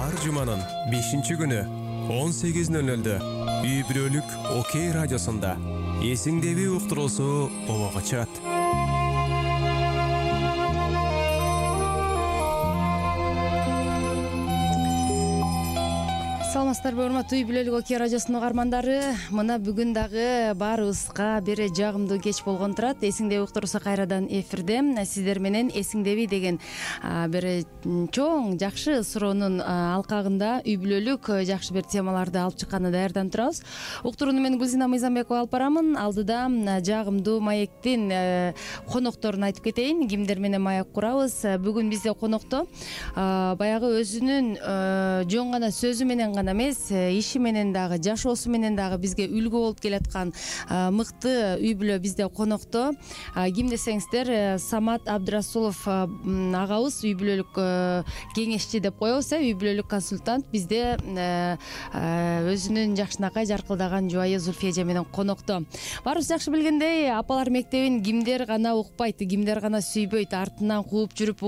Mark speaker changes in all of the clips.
Speaker 1: ар жуманын 5-күнү 18:00 үй бүлөлүк Окей радиосунда эсиңдеби уктуруусу болого чыгат.
Speaker 2: Саламатсыздарбы, урматтуу үй бүлөлүк Окей радиосунун угармандары. Мына бүгүн дагы баарыбызга бир жагымдуу кеч болгон турат. Эсиңдеби уктуруусу кайрадан эфирде. Сиздер менен эсиңдеби деген бир чоң жакшы суроонун алкагында үй бүлөлүк жакшы бир темаларды алып чыкканды даярданып турабыз. Уктурууну мен Гүлзина Мыйзамбекова алып барамын. Алдыда жагымдуу маектин конокторун айтып кетейин. Кимдер менен маек курабыз? Бүгүн бизде конокто баягы өзүнүн жөн гана сөзү менен гана эмес, иши менен дагы, жашоосу менен дагы бизге үлгү болуп келаткан мыкты үй бүлө бизде конокто. Ким десеңиздер, Самат Абдрасулов агабыз, үй бүлөлүк кеңешчи деп коебуз, үй бүлөлүк консультант. Бизде өзүнүн жакшынакай жаркылдаган жубайы Зульфия эже менен конокто. Баарыбыз жакшы билгендей, апалар мектебин кимдер гана укпайт, кимдер гана сүйбөйт, артынан кууп жүрүп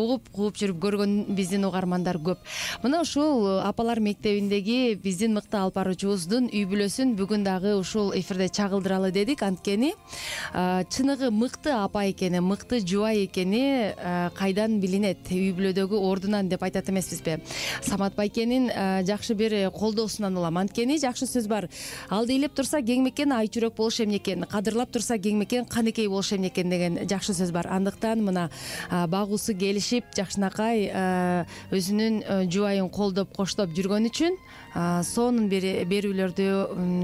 Speaker 2: көргөн биздин угармандар көп. Мына ушул апалар мектебиндеги биздин мыкты алып баруучубуздун үй бүлөсүн бүгүн дагы ушул эфирде чагылдыралы дедик. Анткени чыныгы мыкты апа экени, мыкты жубай экени кайдан билинет? Үй бүлөдөгү ордунан деп айтат эмеспизби? Самат байкенин жакшы бир колдоосунан улам. Анткени жакшы сөз бар. Ал дейлеп турса кеңмекен ай чүрөк болуш эмне экен, кадырлап турса кеңмекен канекей болуш эмне экен деген жакшы сөз бар. Андыктан мына багуусу келишип, жакшынакай өзүнүн жубайын колдоп, коштоп жүргөн үчүн сонун берүүлөрдү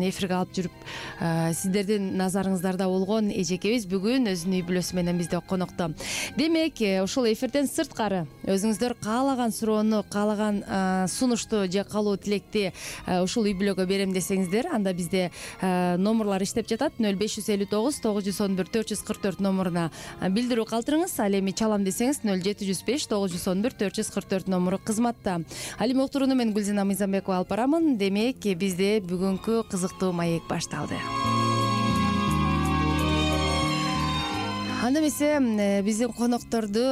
Speaker 2: эфирге алып жүрүп, сиздердин назарыңыздарда болгон эжекебиз бүгүн өзүнүн үй бүлөсү менен бизде конокто. Демек, ушул эфирден сырткары өзүңүздөр каалаган суроону, каалаган сунушту же каалоо тилекти ушул үй бүлөгө берем десеңиздер, анда бизде номерлар иштеп жатат. 0559 911 444 номуруна билдирүү калтырыңыз. Ал эми чалам десеңиз 0705 911 444 номуру кызматта. Ал эми уктурууну мен Гүлзина Мыйзамбекова алып барамын. Демек, бизде бүгүнкү кызыктуу маек башталды. Анда эмесе биздин конокторду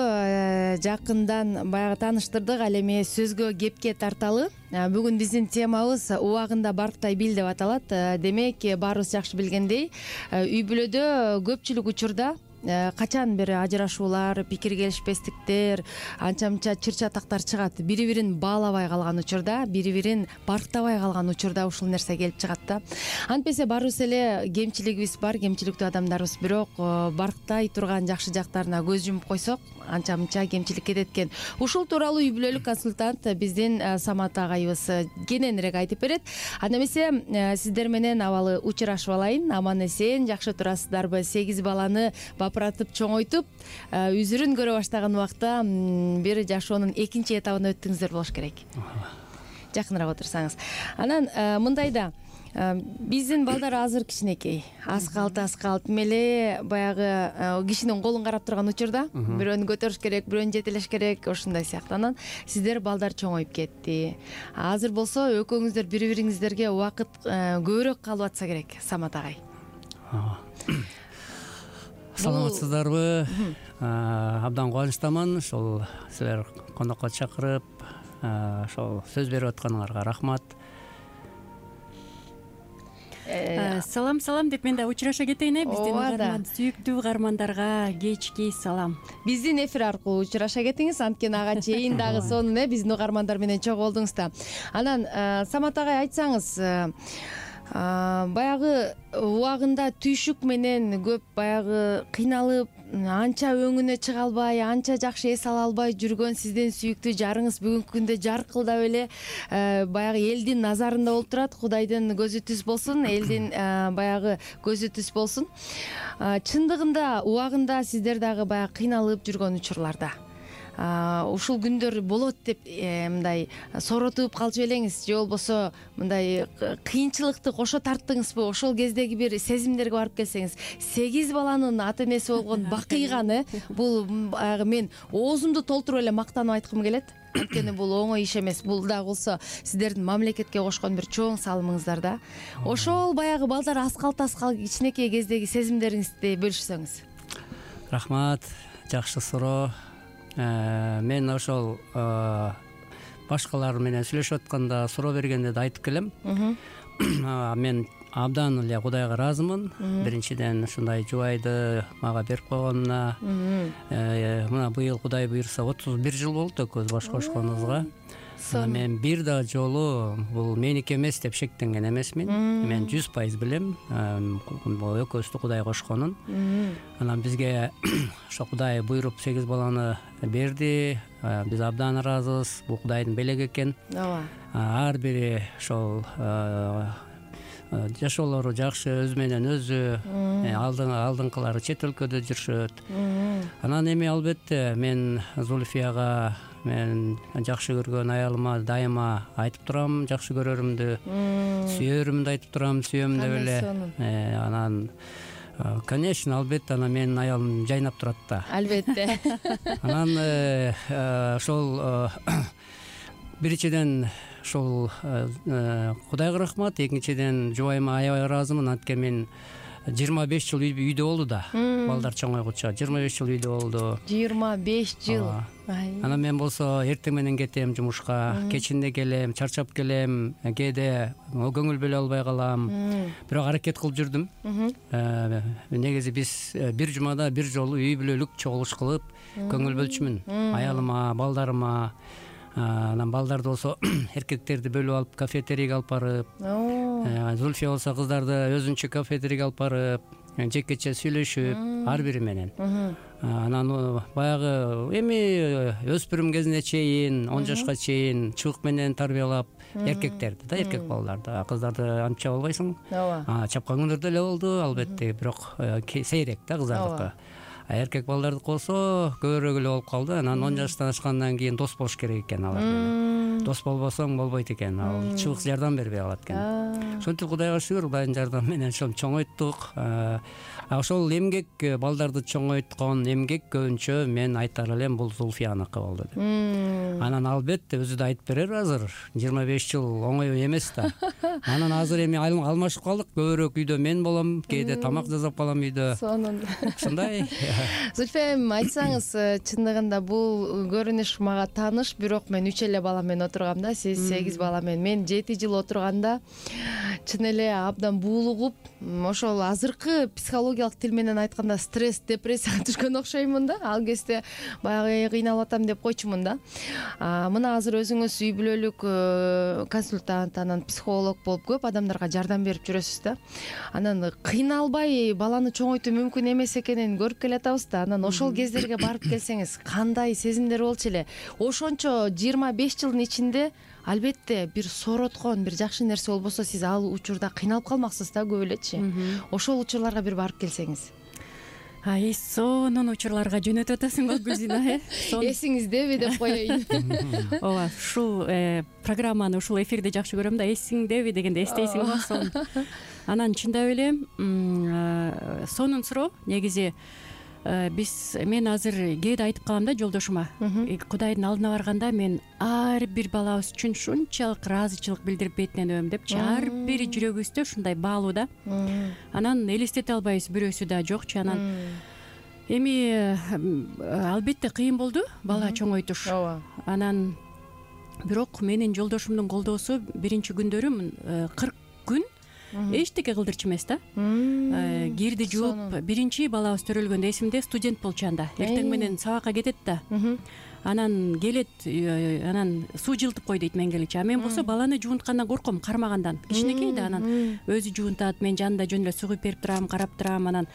Speaker 2: жакындан баягы тааныштырдык. Ал эми сөзгө, кепке тарталы. Бүгүн биздин темабыз убагында барктай бил деп аталат. Демек, баарыбыз жакшы билгендей, үй бүлөдө көпчүлүк учурда качан бир ажырашуулар, пикир келишпестиктер, анча-мынча чыр-чатактар чыгат. Бири-бирин баалабай калган учурда, бири-бирин барктабай калган учурда ушул нерсе келип чыгат да. Антпесе баарыбыз эле кемчилигибиз бар, кемчиликтүү адамдарбыз, бирок барктай турган жакшы жактарына көз жумуп койсок, анча-мынча кемчилик кетет экен. Ушул тууралуу үй бүлөлүк консультант биздин Самат агайыбыз кененирээк айтып берет. Анда эмесе сиздер менен абалы учурашып алайын. Аман эсен жакшы турасыздарбы? 8 баланы бапыратып чоңойтуп, үзүрүн көрө баштаган убакта бир жашоонун экинчи этабына өттүңүздөр болуш керек. Жакыныраак отурсаңыз. Анан мындай да, биздин балдар азыр кичинекей, аз калт меле баягы кишинин колун карап турган учурда бирөөнү көтөрүш керек, бирөөнү жетелеш керек, ошондой сыяктуу. Анан сиздер балдар чоңоюп кетти. Азыр болсо экөөңүздөр бири-бириңиздерге убакыт көбүрөөк калып атса керек, Самат агай.
Speaker 3: Саламатсыздарбы? Абдан кубанычтамын ошол силер конокко чакырып, ошол сөз берип атканыңарга рахмат.
Speaker 4: Салам деп мен да учураша кетейин. Биздин угарман, сүйүктүү угармандарга кечки салам.
Speaker 2: Биздин эфир аркылуу учураша кетиңиз, анткени ага чейин дагы сонун биздин угармандар менен чогуу болдуңуз да. Анан Самат агай, айтсаңыз, баягы убагында түйшүк менен көп баягы кыйналып, анча өңүнө чыга албай, анча жакшы эс ала албай жүргөн сиздин сүйүктүү жарыңыз бүгүнкү күндө жаркылдап эле баягы элдин назарында болуп турат. Кудайдын көзү түз болсун, элдин баягы көзү түз болсун. Чындыгында убагында сиздер дагы баягы кыйналып жүргөн учурларда ушул күндөр болот деп мындай соротуп калчу белеңиз, же болбосо мындай кыйынчылыкты кошо тарттыңызбы? Ошол кездеги бир сезимдерге барып келсеңиз, 8 баланын ата энеси болгон бакыйганы, бул баягы мен оозумду толтуруп эле мактанып айткым келет. Анткени бул оңой иш эмес. Бул дагы болсо сиздердин мамлекетке кошкон бир чоң салымыңыздар да. Ошол баягы балдар аскалт кичинекей кездеги сезимдериңизди бөлүшсөңүз.
Speaker 3: Рахмат, жакшы суроо. Мен ошол башкалар менен сүйлөшүп атканда суроо бергенде да айтып келем. Мен абдан эле Кудайга ыраазымын. Биринчиден ушундай жубайды мага берип койгонуна. Мына быйыл Кудай буйрса 31 жыл болду экөөбүз баш кошконубузга. Мен бир да жолу бул меники эмес деп шектенген эмесмин. Мен 100% билем бул экөөбүздү Кудай кошконун. Анан бизге ошо Кудай буйруп 8 баланы берди. Биз абдан ыраазыбыз. Бул Кудайдын белеги экен.
Speaker 2: ооба.
Speaker 3: Ар бири ошол жашоолору жакшы, өзү менен өзү, алдыңкылары чет өлкөдө жүрүшөт. Анан эми албетте мен Зульфияга мен жакшы көргөн аялыма дайыма айтып турам жакшы көрөрүмдү, сүйөрүмдү айтып турам, сүйөм деп эле. Анан конечно, албетте анан менин аялым жайнап турат да.
Speaker 2: Албетте.
Speaker 3: Анан ошол биринчиден ошол Кудайга рахмат, экинчиден жубайыма аябай ыраазымын. Анткени мен 25 жыл үйдө болду да. Балдар чоңойгуча 25 жыл үйдө болду.
Speaker 2: 25 жыл.
Speaker 3: Анан мен болсо эртең менен кетем жумушка, кечинде келем, чарчап келем, кээде көңүл бөлө албай калам. Бирок аракет кылып жүрдүм. Негизи биз бир жумада бир жолу үй бүлөлүк чогулуш кылып көңүл бөлчүмүн аялыма, балдарыма. Анан балдарды болсо эркектерди бөлүп алып кафетерийге алып барып, Зульфия болсо кыздарды өзүнчө кафетерийге алып барып, жекече сүйлөшүп ар бири менен. Анан баягы эми өспүрүм кезине чейин 10 жашка чейин чыбык менен тарбиялап эркектерди да, эркек балдарды, кыздарды антип чаба албайсың. Чапкан күндөр деле болду албетте, бирок сейрек да кыздардыкы. Эркек балдардыкы болсо көбүрөөк эле болуп калды. Анан 10 жаштан ашкандан кийин дос болуш керек экен алар менен. Дос болбосоң болбойт экен. Ал чыбык жардам бербей калат экен. Ошентип Кудайга шүгүр, Кудайдын жардамы менен ошол чоңойттук. Ошол эмгек, балдарды чоңойткон эмгек көбүнчө мен айтар элем бул Зульфияныкы болду деп. Анан албетте өзү да айтып берер азыр. 25 жыл оңой эмес да. Анан азыр эми алмашып калдык. Көбүрөөк үйдө мен болом, кээде тамак жасап калам үйдө.
Speaker 2: Сонун.
Speaker 3: Ушундай.
Speaker 2: Зульфия эми айтсаңыз, чындыгында бул көрүнүш мага тааныш, бирок мен 3 эле бала менен отургам да, сиз 8 бала менен. Мен 7 жыл отурганда чын эле абдан буулугуп, ошол азыркы психологиялык тил менен айтканда стресс, депрессияга түшкөн окшоймун да. Ал кезде баягы кыйналып атам деп койчумун да. Мына азыр өзүңүз үй бүлөлүк консультант, анан психолог болуп көп адамдарга жардам берип жүрөсүз да. Анан кыйналбай баланы чоңойтуу мүмкүн эмес экенин көрүп келатабыз да. Анан ошол кездерге барып келсеңиз, кандай сезимдер болчу эле? Ошончо 25 жылдын ичинде албетте бир сороткон, бир жакшы нерсе болбосо, сиз ал учурда кыйналып калмаксыз да көп элечи. Ошол учурларга бир барып келсеңиз.
Speaker 4: Сонун учурларга жөнөтүп атасың го Гүлзина,
Speaker 2: Эсиңиздеби деп коеюн.
Speaker 4: Ооба, ушул программаны, ушул эфирди жакшы көрөм да, эсиңдеби дегенде эстейсиң го сонун. Анан чындап эле сонун суроо. Негизи мен азыр кээде айтып калам да жолдошума, Кудайдын алдына барганда мен ар бир балабыз үчүн ушунчалык ыраазычылык билдирип бетинен өбөм депчи. Ар бири жүрөгүбүздө ушундай баалуу да. Анан элестете албайбыз бирөөсү да жокчу. Анан эми албетте кыйын болду бала чоңойтуш. Анан бирок менин жолдошумдун колдоосу биринчи күндөрү 40 күн эчтеке кылдырчу эмес да. Кирди жууп, биринчи балабыз төрөлгөндө эсимде, студент болчу анда. Эртең менен сабакка кетет да. Анан келет, анан суу жылтып кой дейт менгеличи. Мен болсо баланы жуунткандан корком, кармагандан. Кичинекей да, анан өзү жуунтат, мен жанында жөн эле суу куюп берип турам, карап турам. Анан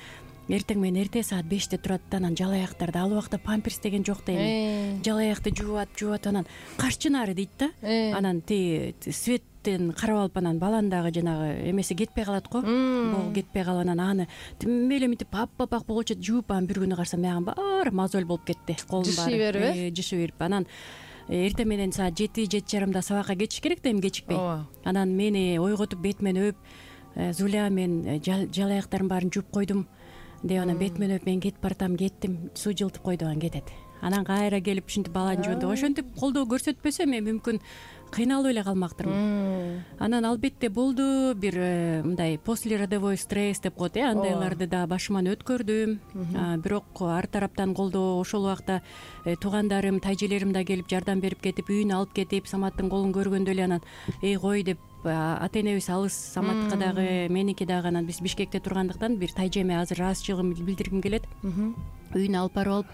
Speaker 4: эртең менен эрте саат 5те турат да, анан жалаяктарды, ал убакта памперс деген жок да эми. Жалаякты жууат, анан карчынары дейт да. Анан светтен карап алып, анан баланын дагы жанагы эмеси кетпей калат го. Богу кетпей калып, анан аны тим эле мынтип аппак болчу жууп, анан бир күнү карасам мяган баары мозоль болуп кетти. Колум баары жышы берип. Анан эртең менен саат 7-7:30 сабакка кетиш керек да, эми кечикпей. Анан мени ойготуп бетимен өп, Зуля, мен жалаяктардын баарын жууп койдум деп, анан бетимен өп, мен кетип баратам, кеттим, суу жылтып койду, анан кетет. Анан кайра келип ушинтип баланы жуундуп, ошентип колдоо көрсөтпөсөм мүмкүн кыйналып эле калмактырмын. Анан албетте болду бир мындай послеродовой стресс деп коет, андайларды да башыман өткөрдүм. Бирок ар тараптан колдоо, ошол убакта туугандарым, тайжелерим да келип жардам берип кетип, үйүнө алып кетип, Саматтын колун көргөндө эле анан кой деп, ата энебиз алыс, Саматка дагы, меники дагы, анан биз Бишкекте тургандыктан бир тайжеме азыр ыраазычылыгымды билдиргим келет. Үйүнө алып барып алып,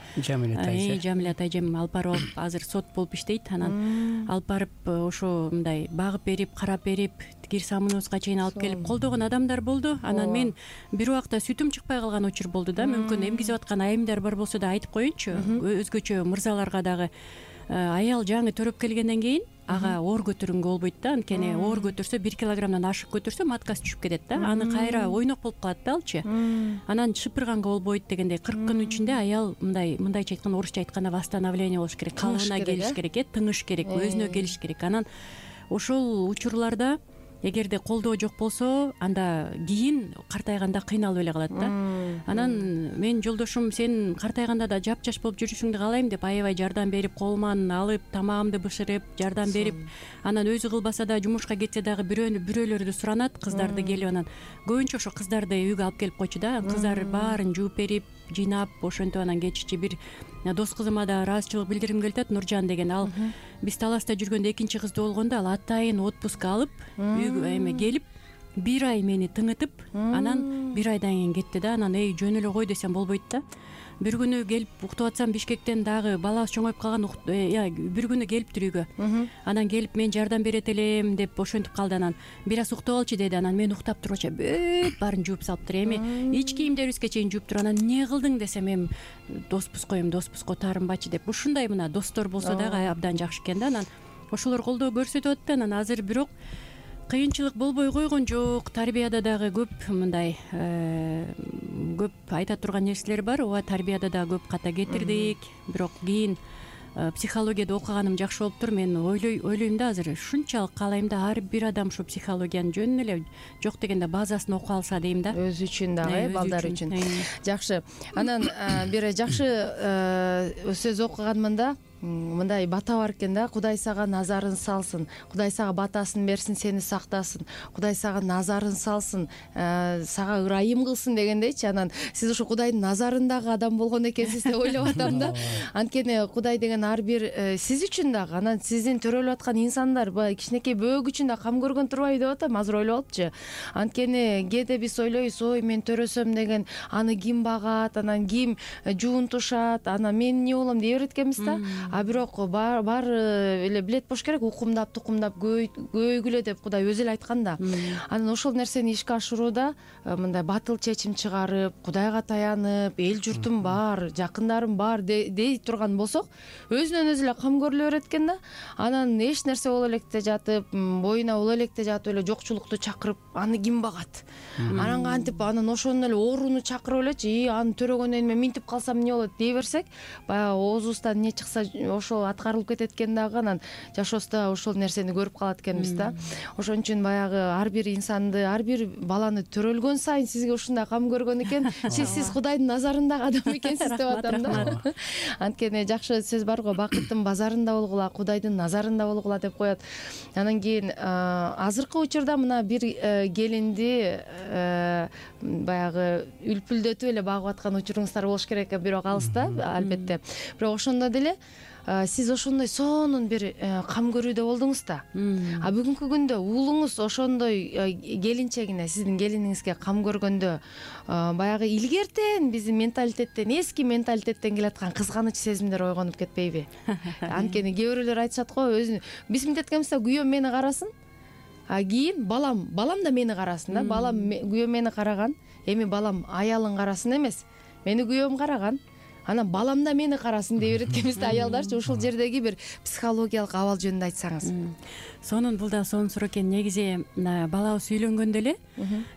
Speaker 4: Жамиля тайжем алып барып алып, азыр сот болуп иштейт. Анан алып барып ошо мындай багып берип, карап берип, кир самыныбызга чейин алып келип колдогон адамдар болду. Анан мен бир убакта сүтүм чыкпай калган учур болду да. Мүмкүн эмгизип аткан айымдар бар болсо да айтып коеюнчу. Өзгөчө мырзаларга дагы аял жаңы төрөп келгенден кийин ага оор көтөрүнгө болбойт да. Анткени оор көтөрсө 1 килограммдан ашык көтөрсө маткасы түшүп кетет да. Аны кайра ойнок болуп калат да алчы. Анан шыпырганга болбойт дегендей 40 күн ичинде аял мындайча айтканда, орусча айтканда восстановление болуш керек, калыбына келиш керек, тыңыш керек, өзүнө келиш керек. Анан ошол учурларда эгерде колдоо жок болсо, анда кийин картайганда кыйналып эле калат да. Анан мен жолдошум, сен картайганда да жапжаш болуп жүрүшүңдү каалайм деп аябай жардам берип, колуман алып, тамагымды бышырып, жардам берип, анан өзү кылбаса да, жумушка кетсе дагы бирөөлөрдү суранат, кыздарды келип, анан көбүнчө ошо кыздарды үйгө алып келип койчу да. Кыздар баарын жууп берип, жыйнап, ошентип анан кечичи бир дос кызыма да ыраазычылык билдиргим келип атат, Нуржан деген. Ал биз Таласта жүргөндө экинчи кызды болгондо ал атайын отпуск алып, үйгө келип, 1 ай мени тыңытып, анан 1 айдан кийин кетти да. Анан жөн эле кой десем болбойт да. Бир күнү келип уктуп атсам, Бишкектен дагы балабыз чоңоюп калган, бир күнү келиптир үйгө. Анан келип, мен жардам берет элем деп ошентип калды. Анан бир аз уктап алчы деди. Анан мен уктап тургача бүт баарын жууп салыптыр. Ич кийимдерибизге чейин жууптур. Анан эмне кылдың десем, доспуз коем, доспузго таарынбачы деп. Ушундай мына достор болсо дагы абдан жакшы экен да. Анан ошолор колдоо көрсөтүп атты. Анан азыр бирок кыйынчылык болбой койгон жок. Тарбияда дагы көп мындай көп айта турган нерселер бар. Ооба, тарбияда дагы көп ката кетирдик. Бирок кийин психологияда окуганым жакшы болуптур. Мен ойлойм да, азыр ушунчалык каалайм да, ар бир адам ушу психологиянын жөнүн эле жок дегенде базасын окуп алса дейм да. Өзү үчүн дагы, балдар үчүн. Жакшы. Анан бир жакшы сөз окуганмын да. Мындай бата бар экен да: Кудай сага назарын салсын, Кудай сага батасын берсин, сени сактасын, Кудай сага назарын салсын, сага ырайым кылсын дегендейчи. Анан сиз ушу Кудайдын назарындагы адам болгон экенсиз деп ойлоп атам да. Анткени Кудай деген ар бир сиз үчүн дагы, анан сиздин төрөлүп аткан инсандар, баягы кичинекей бөөгү үчүн да кам көргөн турбайбы деп атам, азыр ойлоп алыпчы. Анткени кээде биз ойлойбуз, ой мен төрөсөм деген аны ким багат, анан ким жуунтушат, анан мен эмне болом дей берет экенбиз да. А бирок баары эле билет болуш керек, укумдап тукумдап көйгүлө деп Кудай өзү эле айткан да. Анан ошол нерсени ишке ашырууда мындай батыл чечим чыгарып, Кудайга таянып, эл журтум бар, жакындарым бар дей турган болсок, өзүнөн өзү эле кам көрүлө берет экен да. Анан эч нерсе боло электе жатып, боюна боло электе жатып эле жокчулукту чакырып, аны ким багат? Анан кантип анан ошондон эле ооруну чакырып элечи, аны төрөгөндөн мен минтип калсам эмне болот дей берсек, баягы оозубуздан эмне чыкса ошол аткарылып кетет экен дагы. Анан жашообузда ошол нерсени көрүп калат экенбиз да. Ошон үчүн баягы ар бир инсанды, ар бир баланы төрөлгөн сайын сизге ушундай кам көргөн экен, сиз Кудайдын назарындагы адам экенсиз деп атам да. Анткени жакшы сөз бар го, бакыттын базарында болгула, Кудайдын назарында болгула деп коет. Анан кийин азыркы учурда мына бир келинди баягы үлпүлдөтүп эле багып аткан учуруңуздар болуш керек, бирок алыста албетте. Бирок ошондо деле сиз ошондой сонун бир кам көрүүдө болдуңуз да. А бүгүнкү күндө уулуңуз ошондой келинчегине, сиздин келиниңизге кам көргөндө баягы илгертен биздин менталитеттен, эски менталитеттен келаткан кызганыч сезимдер ойгонуп кетпейби? Анткени кээ бирөөлөр айтышат го, өзүн биз мынтеткенбиз да, күйөөм мени карасын, а кийин балам да мени карасын да. Балам күйөөм мени караган, эми балам аялын карасын эмес, мени күйөөм караган, анан балам да мени карасын дей берет экенбиз да аялдарчы. Ушул жердеги бир психологиялык абал жөнүндө айтсаңыз. Сонун, бул да сонун суроо экен. Негизи балабыз үйлөнгөндө эле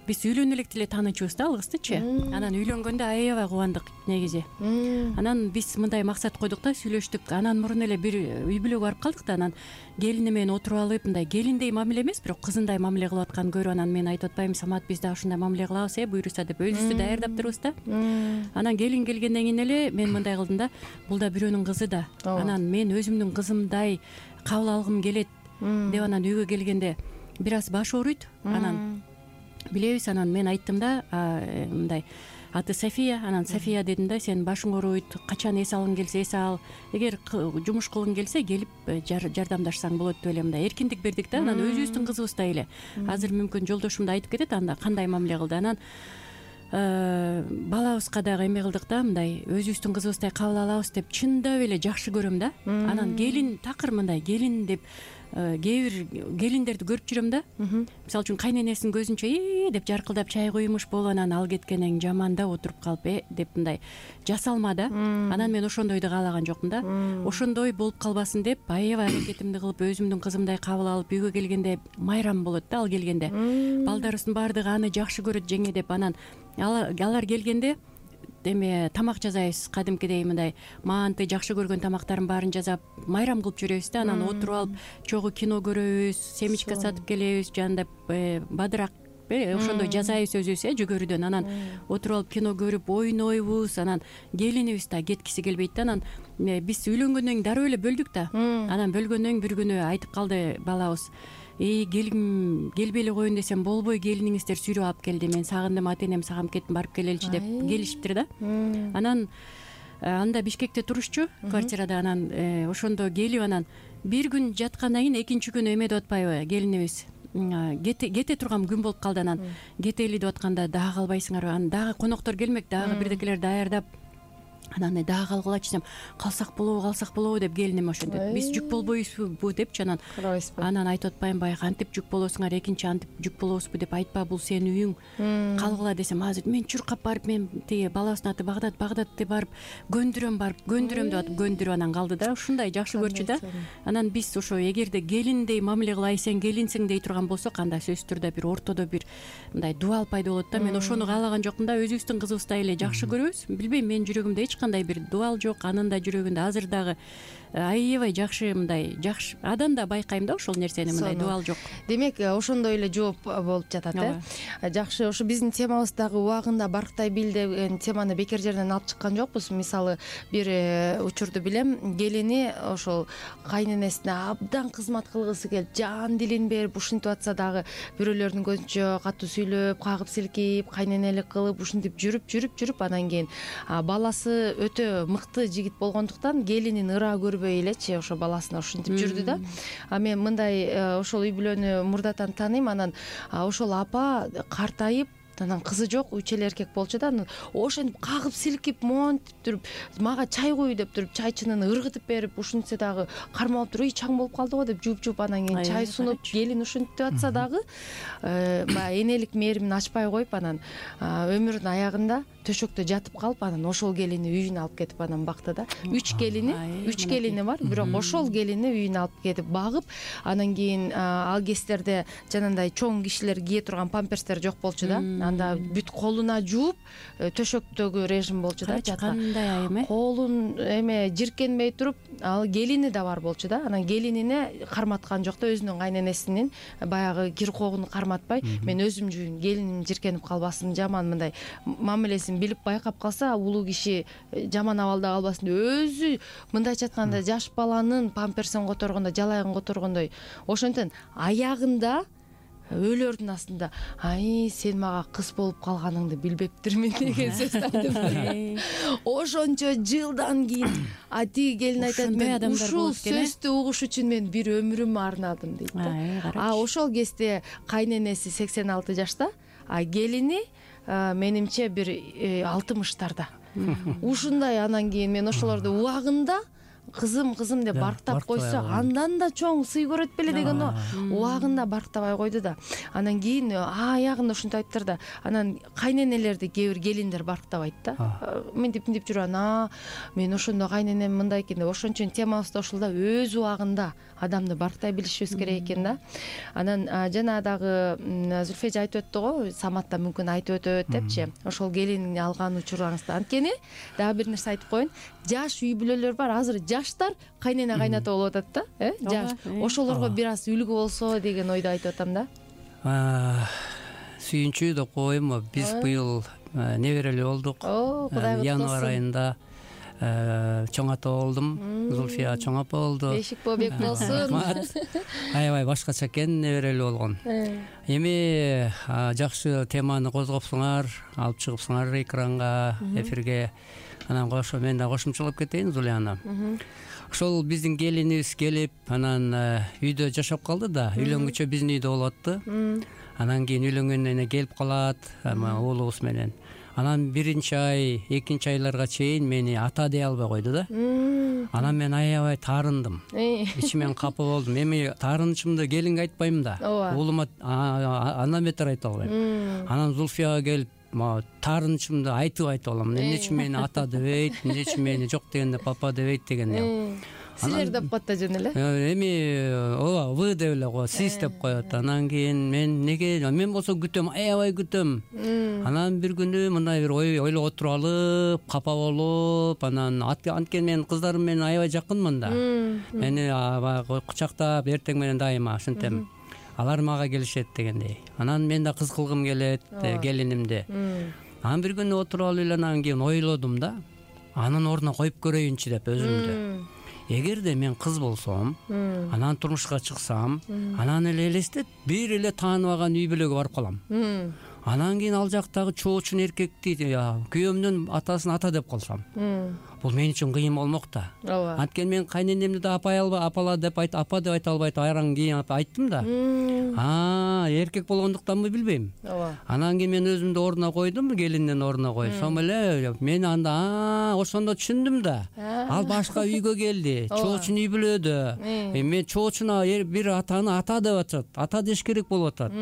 Speaker 4: биз үйлөнө электе эле таанычубуз да алгыстычы. Анан үйлөнгөндө аябай кубандык негизи. Анан биз мындай максат койдук да, сүйлөштүк. Анан мурун эле бир үй бүлөгө барып калдык да. Анан келини менен отуруп алып, мындай келиндей мамиле эмес, бирок кызындай мамиле кылып атканын көрүп, анан мен айтып атпаймынбы, Самат, биз да ушундай мамиле кылабыз, буйруса деп өзүбүздү даярдап турбуз да. Анан келин келгенден кийин эле мен мындай кылдым да, бул да бирөөнүн кызы да. Анан мен өзүмдүн кызымдай кабыл алгым келет. деп анан үйгө келгенде бир аз баш ооруйт, анан билебиз, анан мен айттым да мындай, аты София, анан София дедим да, сен башың ооруйт, качан эс алгың келсе эс ал, эгер жумуш кылгың келсе келип жардамдашсаң болот деп эле мындай эркиндик бердик да. Анан өзүбүздүн кызыбыздай эле, азыр мүмкүн жолдошум да айтып кетет анда кандай мамиле кылды. Анан балабызга дагы эме кылдык да, мындай өзүбүздүн кызыбыздай кабыл алабыз деп чындап эле жакшы көрөм да. Анан келин такыр мындай келин деп кээ бир келиндерди көрүп жүрөм да. Мисалы үчүн кайненесинин көзүнчө деп жаркылдап чай куймуш болуп, анан ал кеткенден кийин жаманда отуруп калып деп мындай жасалма да. Анан мен ошондойду каалаган жокмун да. Ошондой болуп калбасын деп аябай аракетимди кылып, өзүмдүн кызымдай кабыл алып, үйгө келгенде майрам болот да ал келгенде. Балдарыбыздын баардыгы аны жакшы көрөт жеңе деп. Анан алар келгенде эме тамак жасайбыз, кадимкидей мындай манты жакшы көргөн тамактардын баарын жасап майрам кылып жүрөбүз да. Анан отуруп алып чогуу кино көрөбүз, семечка сатып келебиз, жанагындай бадырак ошондой жасайбыз өзүбүз жүгөрүдөн. Анан отуруп алып кино көрүп ойнойбуз. Анан келинибиз да кеткиси келбейт да. Анан биз үйлөнгөндөн кийин дароо эле бөлдүк да. Анан бөлгөндөн кийин бир күнү айтып калды балабыз, келгим келбей эле коеюн десем болбой, келиниңиздер сүйрөп алып келди, мен сагындым, ата энем сагынып кеттим, барып келеличи деп келишиптир да. Анан анда Бишкекте турушчу квартирада. Анан ошондо келип, анан бир күн жаткандан кийин экинчи күнү эме деп атпайбы келинибиз, кете турган күн болуп калды. Анан кетели деп атканда дагы калбайсыңарбы, анан дагы коноктор келмек, дагы бирдекелер даярдап, анан дагы калгылачы десем, калсак болобу деп келиним ошентет. Биз жүк болбойбузбу депчи. Анан айтып атпаймынбы, кантип жүк болосуңар, экинчи антип жүк болобузбу деп айтпа, бул сенин үйүң, калгыла десем, азыр мен чуркап барып, мен тиги балабыздын аты Багдатты барып көндүрөм деп атып көндүрүп анан калды да. Ушундай жакшы көрчү да. Анан биз ошо эгерде келиндей мамиле кылайын, сен келинсиң дей турган болсок, анда сөзсүз түрдө бир ортодо бир мындай дубал пайда болот да. Мен ошону каалаган жокмун да. Өзүбүздүн кызыбыздай эле жакшы көрөбүз. Билбейм, менин жүрөгүмдө эч кандай бир дубал жок, анын да жүрөгүндө азыр дагы аябай жакшы, мындай жакшы. Адан да байкайм да ошол нерсени, мындай дубал жок.
Speaker 2: Демек ошондой эле жооп болуп жатат Жакшы. Ошо биздин темабыз дагы убагында барктай бил деген теманы бекер жерден алып чыккан жокпуз. Мисалы бир учурду билем, келини ошол кайненесине абдан кызмат кылгысы келип, жан дилин берип ушинтип атса дагы, бирөөлөрдүн көзүнчө катуу сүйлөп, кагып силкип, кайненелик кылып, ушинтип жүрүп анан кийин баласы өтө мыкты жигит болгондуктан келинин ыра көрбөй элечи ошо баласына ушинтип жүрдү да. Мен мындай ошол үй бүлөнү мурдатан тааныйм. Анан ошол апа картайып, анан кызы жок, 3 эле эркек болчу да. Анан ошентип кагып силкип, монтип туруп, мага чай куй деп туруп, чайчынын ыргытып берип, ушинтсе дагы кармалып туруп, чаң болуп калды го деп жууп, анан кийин чай сунуп, келин ушинтип атса дагы баягы энелик мээримин ачпай коюп, анан өмүрүнүн аягында төшөктө жатып калып, анан ошол келини үйүнө алып кетип анан бакты да. 3 келини бар, бирок ошол келини үйүнө алып кетип багып, анан кийин ал кездерде жанагындай чоң кишилер кие турган памперстер жок болчу да. Анда бүт колуна жууп, төшөктөгү режим болчу да.
Speaker 4: Кандай айым
Speaker 2: колун эме жиркенбей туруп, ал келини да бар болчу да. Анан келинине карматкан жок да, өзүнүн кайненесинин баягы кир когуну карматпай, мен өзүм жууйм, келиним жиркенип калбасын, жаман мындай мамилесин билип байкап калса, улуу киши жаман абалда калбасын деп өзү мындайча айтканда жаш баланын памперсин которгондой, жалайыгын которгондой, ошентен аягында өлөрдүн астында, сен мага кыз болуп калганыңды билбептирмин деген сөз айтып. Ошончо жылдан кийин тиги келин айтат, мен ушул сөздү угуш үчүн мен бир өмүрүмдү арнадым дейт да. Ошол кезде кайненеси 86 жашта, келини менимче бир 60-тарда. Ушундай. Анан кийин мен ошолорду убагында кызым деп барктап койсо, андан да чоң сый көрөт беле деген убагында барктабай койду да. Анан кийин аягында ушинтип айтыптыр да. Анан кайненелерди кээ бир келиндер барктабайт да. Мынтип жүрөм, мен ошондо кайненем мындай экен деп. Ошон үчүн темабыз да ушул да, өз убагында адамды барктай билишибиз керек экен да. Анан жана дагы Зүлфежи айтып өттү го, Самат да мүмкүн айтып өтөт депчи, ошол келин алган учурыңызда. Анткени дагы бир нерсе айтып коеюн, жаш үй бүлөлөр бар, азыр жаштар кайнене кайната болуп атат да. Жаш ошолорго бир аз үлгү болсо деген ойду айтып атам да.
Speaker 3: Сүйүнчүү деп коеюнбу, биз быйыл неберелүү болдук. Январь айында чоң ата болдум. Зульфия чоң апа болду.
Speaker 2: Бешик бобек болсун.
Speaker 3: Аябай башкача экен, неберели болгон. Эми жакшы теманы козгопсуңар, алып чыгыпсыңар экранга, эфирге. Анан кошо мен да кошумчалап кетейин, Зулияна. Ошол биздин келинибиз келип, анан үйдө жашап калды да, үйлөнгүчө биздин үйдө болуп атты. Анан кийин үйлөнгөндөн келип калат, уулубуз менен. Анан 1-ай, 2-айларга чейин мени ата дей албай койду да. Анан мен аябай таарындым. Ичимен капа болдум. Эми таарынычымды келинге айтпайм да. Уулума андан бетер айта албайм. Анан Зульфияга келип таарынычымды айтып алам. Эмне үчүн мени ата дебейт, эмне үчүн мени жок дегенде папа дебейт деген.
Speaker 2: Силер деп ката жөн эле.
Speaker 3: Эми ооба, вы деп эле коет, сиз деп коет. Анан кийин мен болсо күтөм, аябай күтөм. Анан бир күнү мындай бир ойлоп отуруп алып, капа болуп, анан анткени мен кыздарым менен аябай жакынмын да. Мени кучактап эртең менен дайыма ушинтем. Алар мага келишет дегендей. Анан мен да кыз кылгым келет келинимди. Анан бир күнү отуруп алып эле анан кийин ойлодум да. Анын ордуна коюп көрөйүнчү деп өзүмдү. Эгерде мен кыз болсом, анан турмушка чыксам, анан эле элестет, бир эле тааныбаган үй бүлөгө барып калам. Анан кийин ал жактагы чоочун эркекти күйөөмдүн атасын ата деп калсам, бул мен үчүн кыйын болмок да. Анткени мен кайненемди да апала деп апа деп айта албайт, айран кийин айттым да. Эркек болгондуктанбы билбейм. Анан кийин мен өзүмдү ордуна койдум, келиндин ордуна койсом эле мен анда ошондо түшүндүм да. Ал башка үйгө келди, чоочун үй бүлөдө. Мен чоочуна бир атаны ата деп атат, ата деш керек болуп атат.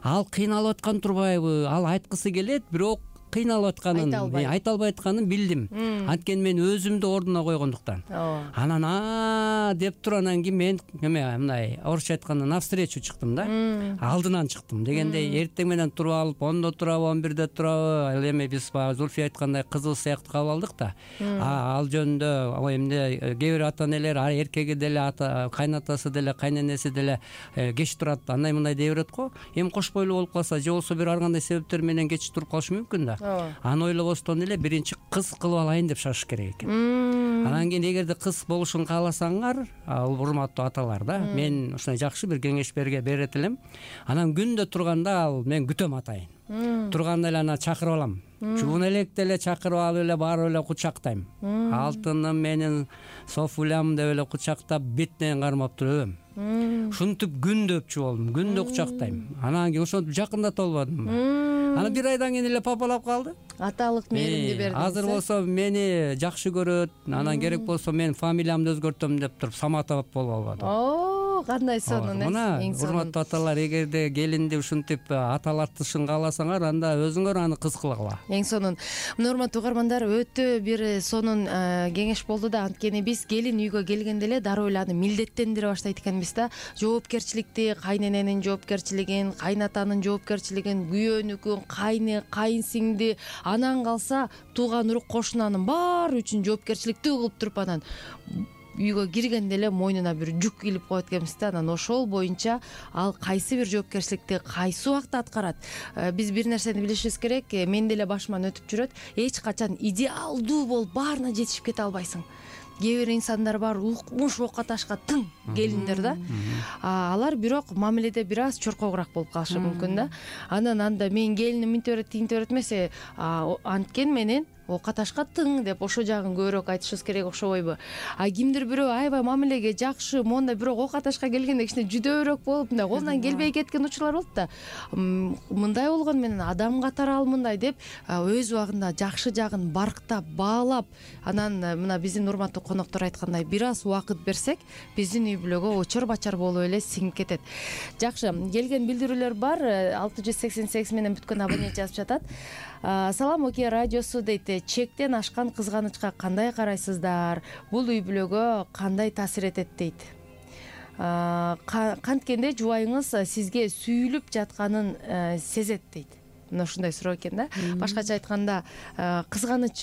Speaker 3: Ал кыйналып аткан турбайбы? Ал айткысы келет, бирок кыйналып атканын, айта албай атканын билдим. Анткени мен өзүмдү ордуна койгондуктан. Анан деп туруп анан кийин мен мындай орусча айтканда навстречу чыктым да. Алдынан чыктым дегендей, эртең менен туруп алып, 10-до турабы, 11-де турабы, ал эми биз Зульфия айткандай кызыбыз сыяктуу кабыл алдык да. Ал жөнүндө эмне кээ бир ата энелер эркеги деле, кайнатасы деле, кайненеси деле кеч турат, андай мындай дей берет го. Эми кош бойлуу болуп калса, же болбосо бир ар кандай себептер менен кеч туруп калышы мүмкүн да. Аны ойлобостон эле биринчи кыз кылып алайын деп шашыш керек экен. Анан кийин эгерде кыз болушун кааласаңар, урматтуу аталар да, мен ушундай жакшы бир кеңеш берет элем. Анан күндө турганда мен күтөм атайын. Турганда эле аны чакырып алам. Чуун электе эле чакырып алып эле барып эле кучактайм. Алтыным менин, Софулям деп эле кучактап, бетинен кармап туруп өбөм. Ушинтип күндө өпчү болдум, күндө кучактайм. Анан кийин ошентип жакындата албадым. Анан бир айдан кийин эле папалап калды.
Speaker 2: Аталык мээримди бердиңиз.
Speaker 3: Азыр болсо мени жакшы көрөт, анан керек болсо мен фамилиямды өзгөртөм деп туруп Саматов болуп албадым.
Speaker 2: Кандай сонун,
Speaker 3: мына урматтуу аталар, эгерде келинди ушинтип аталатышын кааласаңар, анда өзүңөр аны кыз кылгыла.
Speaker 2: Эң сонун. Мына урматтуу угармандар, өтө бир сонун кеңеш болду да. Анткени биз келин үйгө келгенде эле дароо эле аны милдеттендире баштайт экенбиз да. Жоопкерчиликти, кайнененин жоопкерчилигин, кайнатанын жоопкерчилигин, күйөөнүкүн, кайынсиңди, анан калса тууган урук кошунанын баары үчүн жоопкерчиликти угулуп туруп анан үйгө киргенде эле мойнуна бир жүк илип коет экенбиз да. Анан ошол боюнча ал кайсы бир жоопкерчиликти кайсы убакта аткарат. Биз бир нерсени билишибиз керек. Мен деле башыман өтүп жүрөт. Эч качан идеалдуу болуп баарына жетишип кете албайсың. Кээ бир инсандар бар, укмуш окка ташка тың келиндер да. Алар бирок мамиледе бир аз чоркогураак болуп калышы мүмкүн да. Анан анда мен келиним мынтип берет, тинтип берет эмес, анткен менен окка ташка тың деп ошо жагын көбүрөөк айтышыбыз керек, окшобойбу? Кимдир бирөө аябай мамилеге жакшы, монда бирок окка ташка келгенде кичине жүдөөрөөк болуп, мындай колунан келбей кеткен учурлар болот да. Мындай болгону менен адам катары ал мындай деп өз убагында жакшы жагын барктап, баалап, анан мына биздин урматтуу коноктор айткандай бир аз убакыт берсек, биздин үй бүлөгө очор бачар болуп эле сиңип кетет. Жакшы, келген билдирүүлөр бар. 688 менен бүткөн абонент жазып жатат. Салам, Окей радиосу дейт. Чектен ашкан кызганычка кандай карайсыздар? Бул үй бүлөгө кандай таасир этет дейт. Канткенде жубайыңыз сизге сүйүлүп жатканын сезет дейт. мына ушундай суроо экен да. Башкача айтканда кызганыч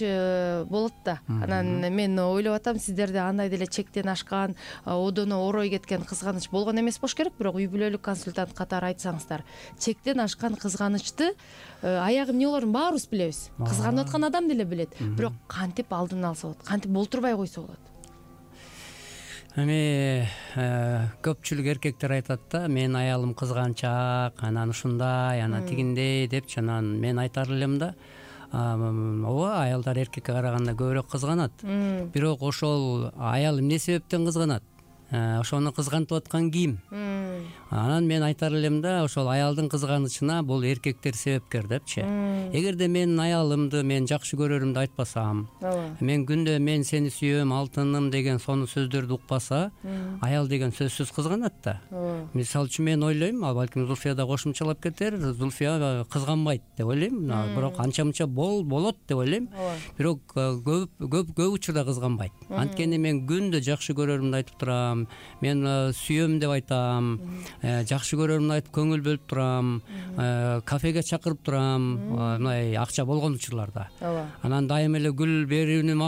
Speaker 2: болот да. Анан мен ойлоп атам, сиздерде андай деле чектен ашкан, одоно орой кеткен кызганыч болгон эмес болуш керек, бирок үй бүлөлүк консультант катары айтсаңыздар, чектен ашкан кызганычты аягы эмне болорун баарыбыз билебиз. Кызганып аткан адам деле билет. Бирок кантип алдын алса болот, кантип болтурбай койсо болот?
Speaker 3: Эми көпчүлүк эркектер айтат да, менин аялым кызганчаак, анан ушундай, анан тигиндей депчи. Анан мен айтар элем да, ооба, аялдар эркекке караганда көбүрөөк кызганат. Бирок ошол аял эмне себептен кызганат? Ошону кызгантып аткан ким? Анан мен айтар элем да, ошол аялдын кызганычына бул эркектер себепкер депчи. Эгерде менин аялымды мен жакшы көрөрүмдү айтпасам, мен күндө мен сени сүйөм, алтыным деген сону сөздөрдү укпаса, аял деген сөзсүз кызганат да. Мисалы үчүн мен ойлойм, балким Зульфия да кошумчалап кетер, Зульфия кызганбайт деп ойлойм, бирок анча мынча болот деп ойлойм. Бирок көп учурда кызганбайт. Анткени мен күндө жакшы көрөрүмдү айтып турам, мен сүйөм деп айтам, жакшы көрөрүмдү айтып көңүл бөлүп турам, кафеге чакырып турам, мындай акча болгон учурларда. Анан дайым эле гүл берем,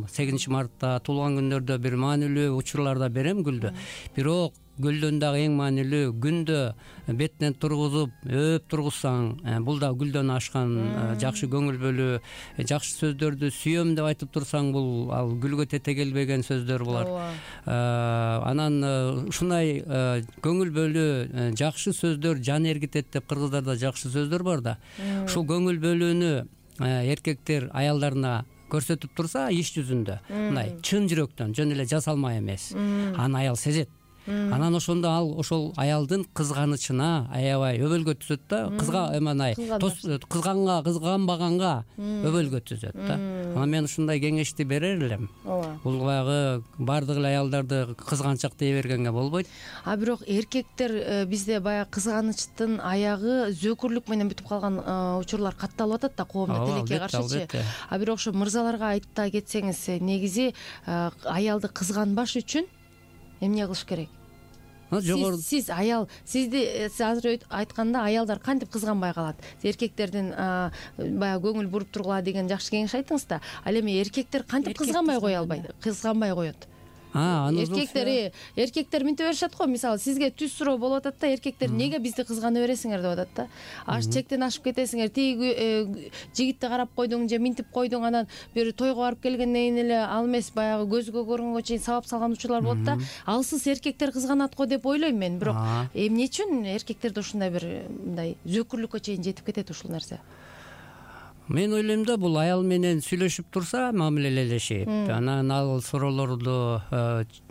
Speaker 3: 8-мартта, туулган күндөрдө бир маанилүү учурларда берем гүлдү. Бирок гүлдөн дагы эң маанилүү, күндө бетинен тургузуп, өп тургузсаң, бул да гүлдөн ашкан жакшы көңүл бөлүү, жакшы сөздөрдү сүйөм деп айтып турсаң, бул ал гүлгө тете келбеген сөздөр болот. Анан ушундай көңүл бөлүү, жакшы сөздөр жан эргитет деп кыргыздарда жакшы сөздөр бар да. Ушул көңүл бөлүүнү эркектер аялдарына көрсөтүп турса, иш жүзүндө мындай чын жүрөктөн, жөн эле жасалма эмес, аны аял сезет. Анан ошондо ал ошол аялдын кызганычына аябай өбөлгө түзөт да, кызганбаганга өбөлгө түзөт да. Анан мен ушундай кеңешти берер элем. Бул баягы бардык эле аялдарды кызганчак дей бергенге болбойт.
Speaker 2: Бирок эркектер бизде баягы кызганычтын аягы зөөкүрлүк менен бүтүп калган учурлар катталып атат да, коомдо тилекке каршычы. Бирок ошо мырзаларга айта кетсеңиз, негизи аялды кызганбаш үчүн эмне кылыш керек? Сиз аял, сизди азыр айтканда аялдар кантип кызганбай калат? Эркектердин баягы көңүл буруп тургула деген жакшы кеңеш айттыңыз да. Ал эми эркектер кантип кызганбай кое албайт? Кызганбай коет. Эркектер мынтип беришет го, мисалы сизге түз суроо болуп атат да, эркектер неге бизди кызгана бересиңер деп атат да. Чектен ашып кетесиңер, тиги жигитти карап койдуң же минтип койдуң, анан бир тойго барып келгенден кийин эле ал эмес, баягы көзгө көрүнгөнгө чейин сабап салган учурлар болот да. Алсыз эркектер кызганат го деп ойлойм мен, бирок эмне үчүн эркектерде ушундай бир мындай зөөкүрлүккө чейин жетип кетет ушул нерсе?
Speaker 3: Мен ойлойм да, бул аял менен сүйлөшүп турса, мамилелешип, анан ал суроолорду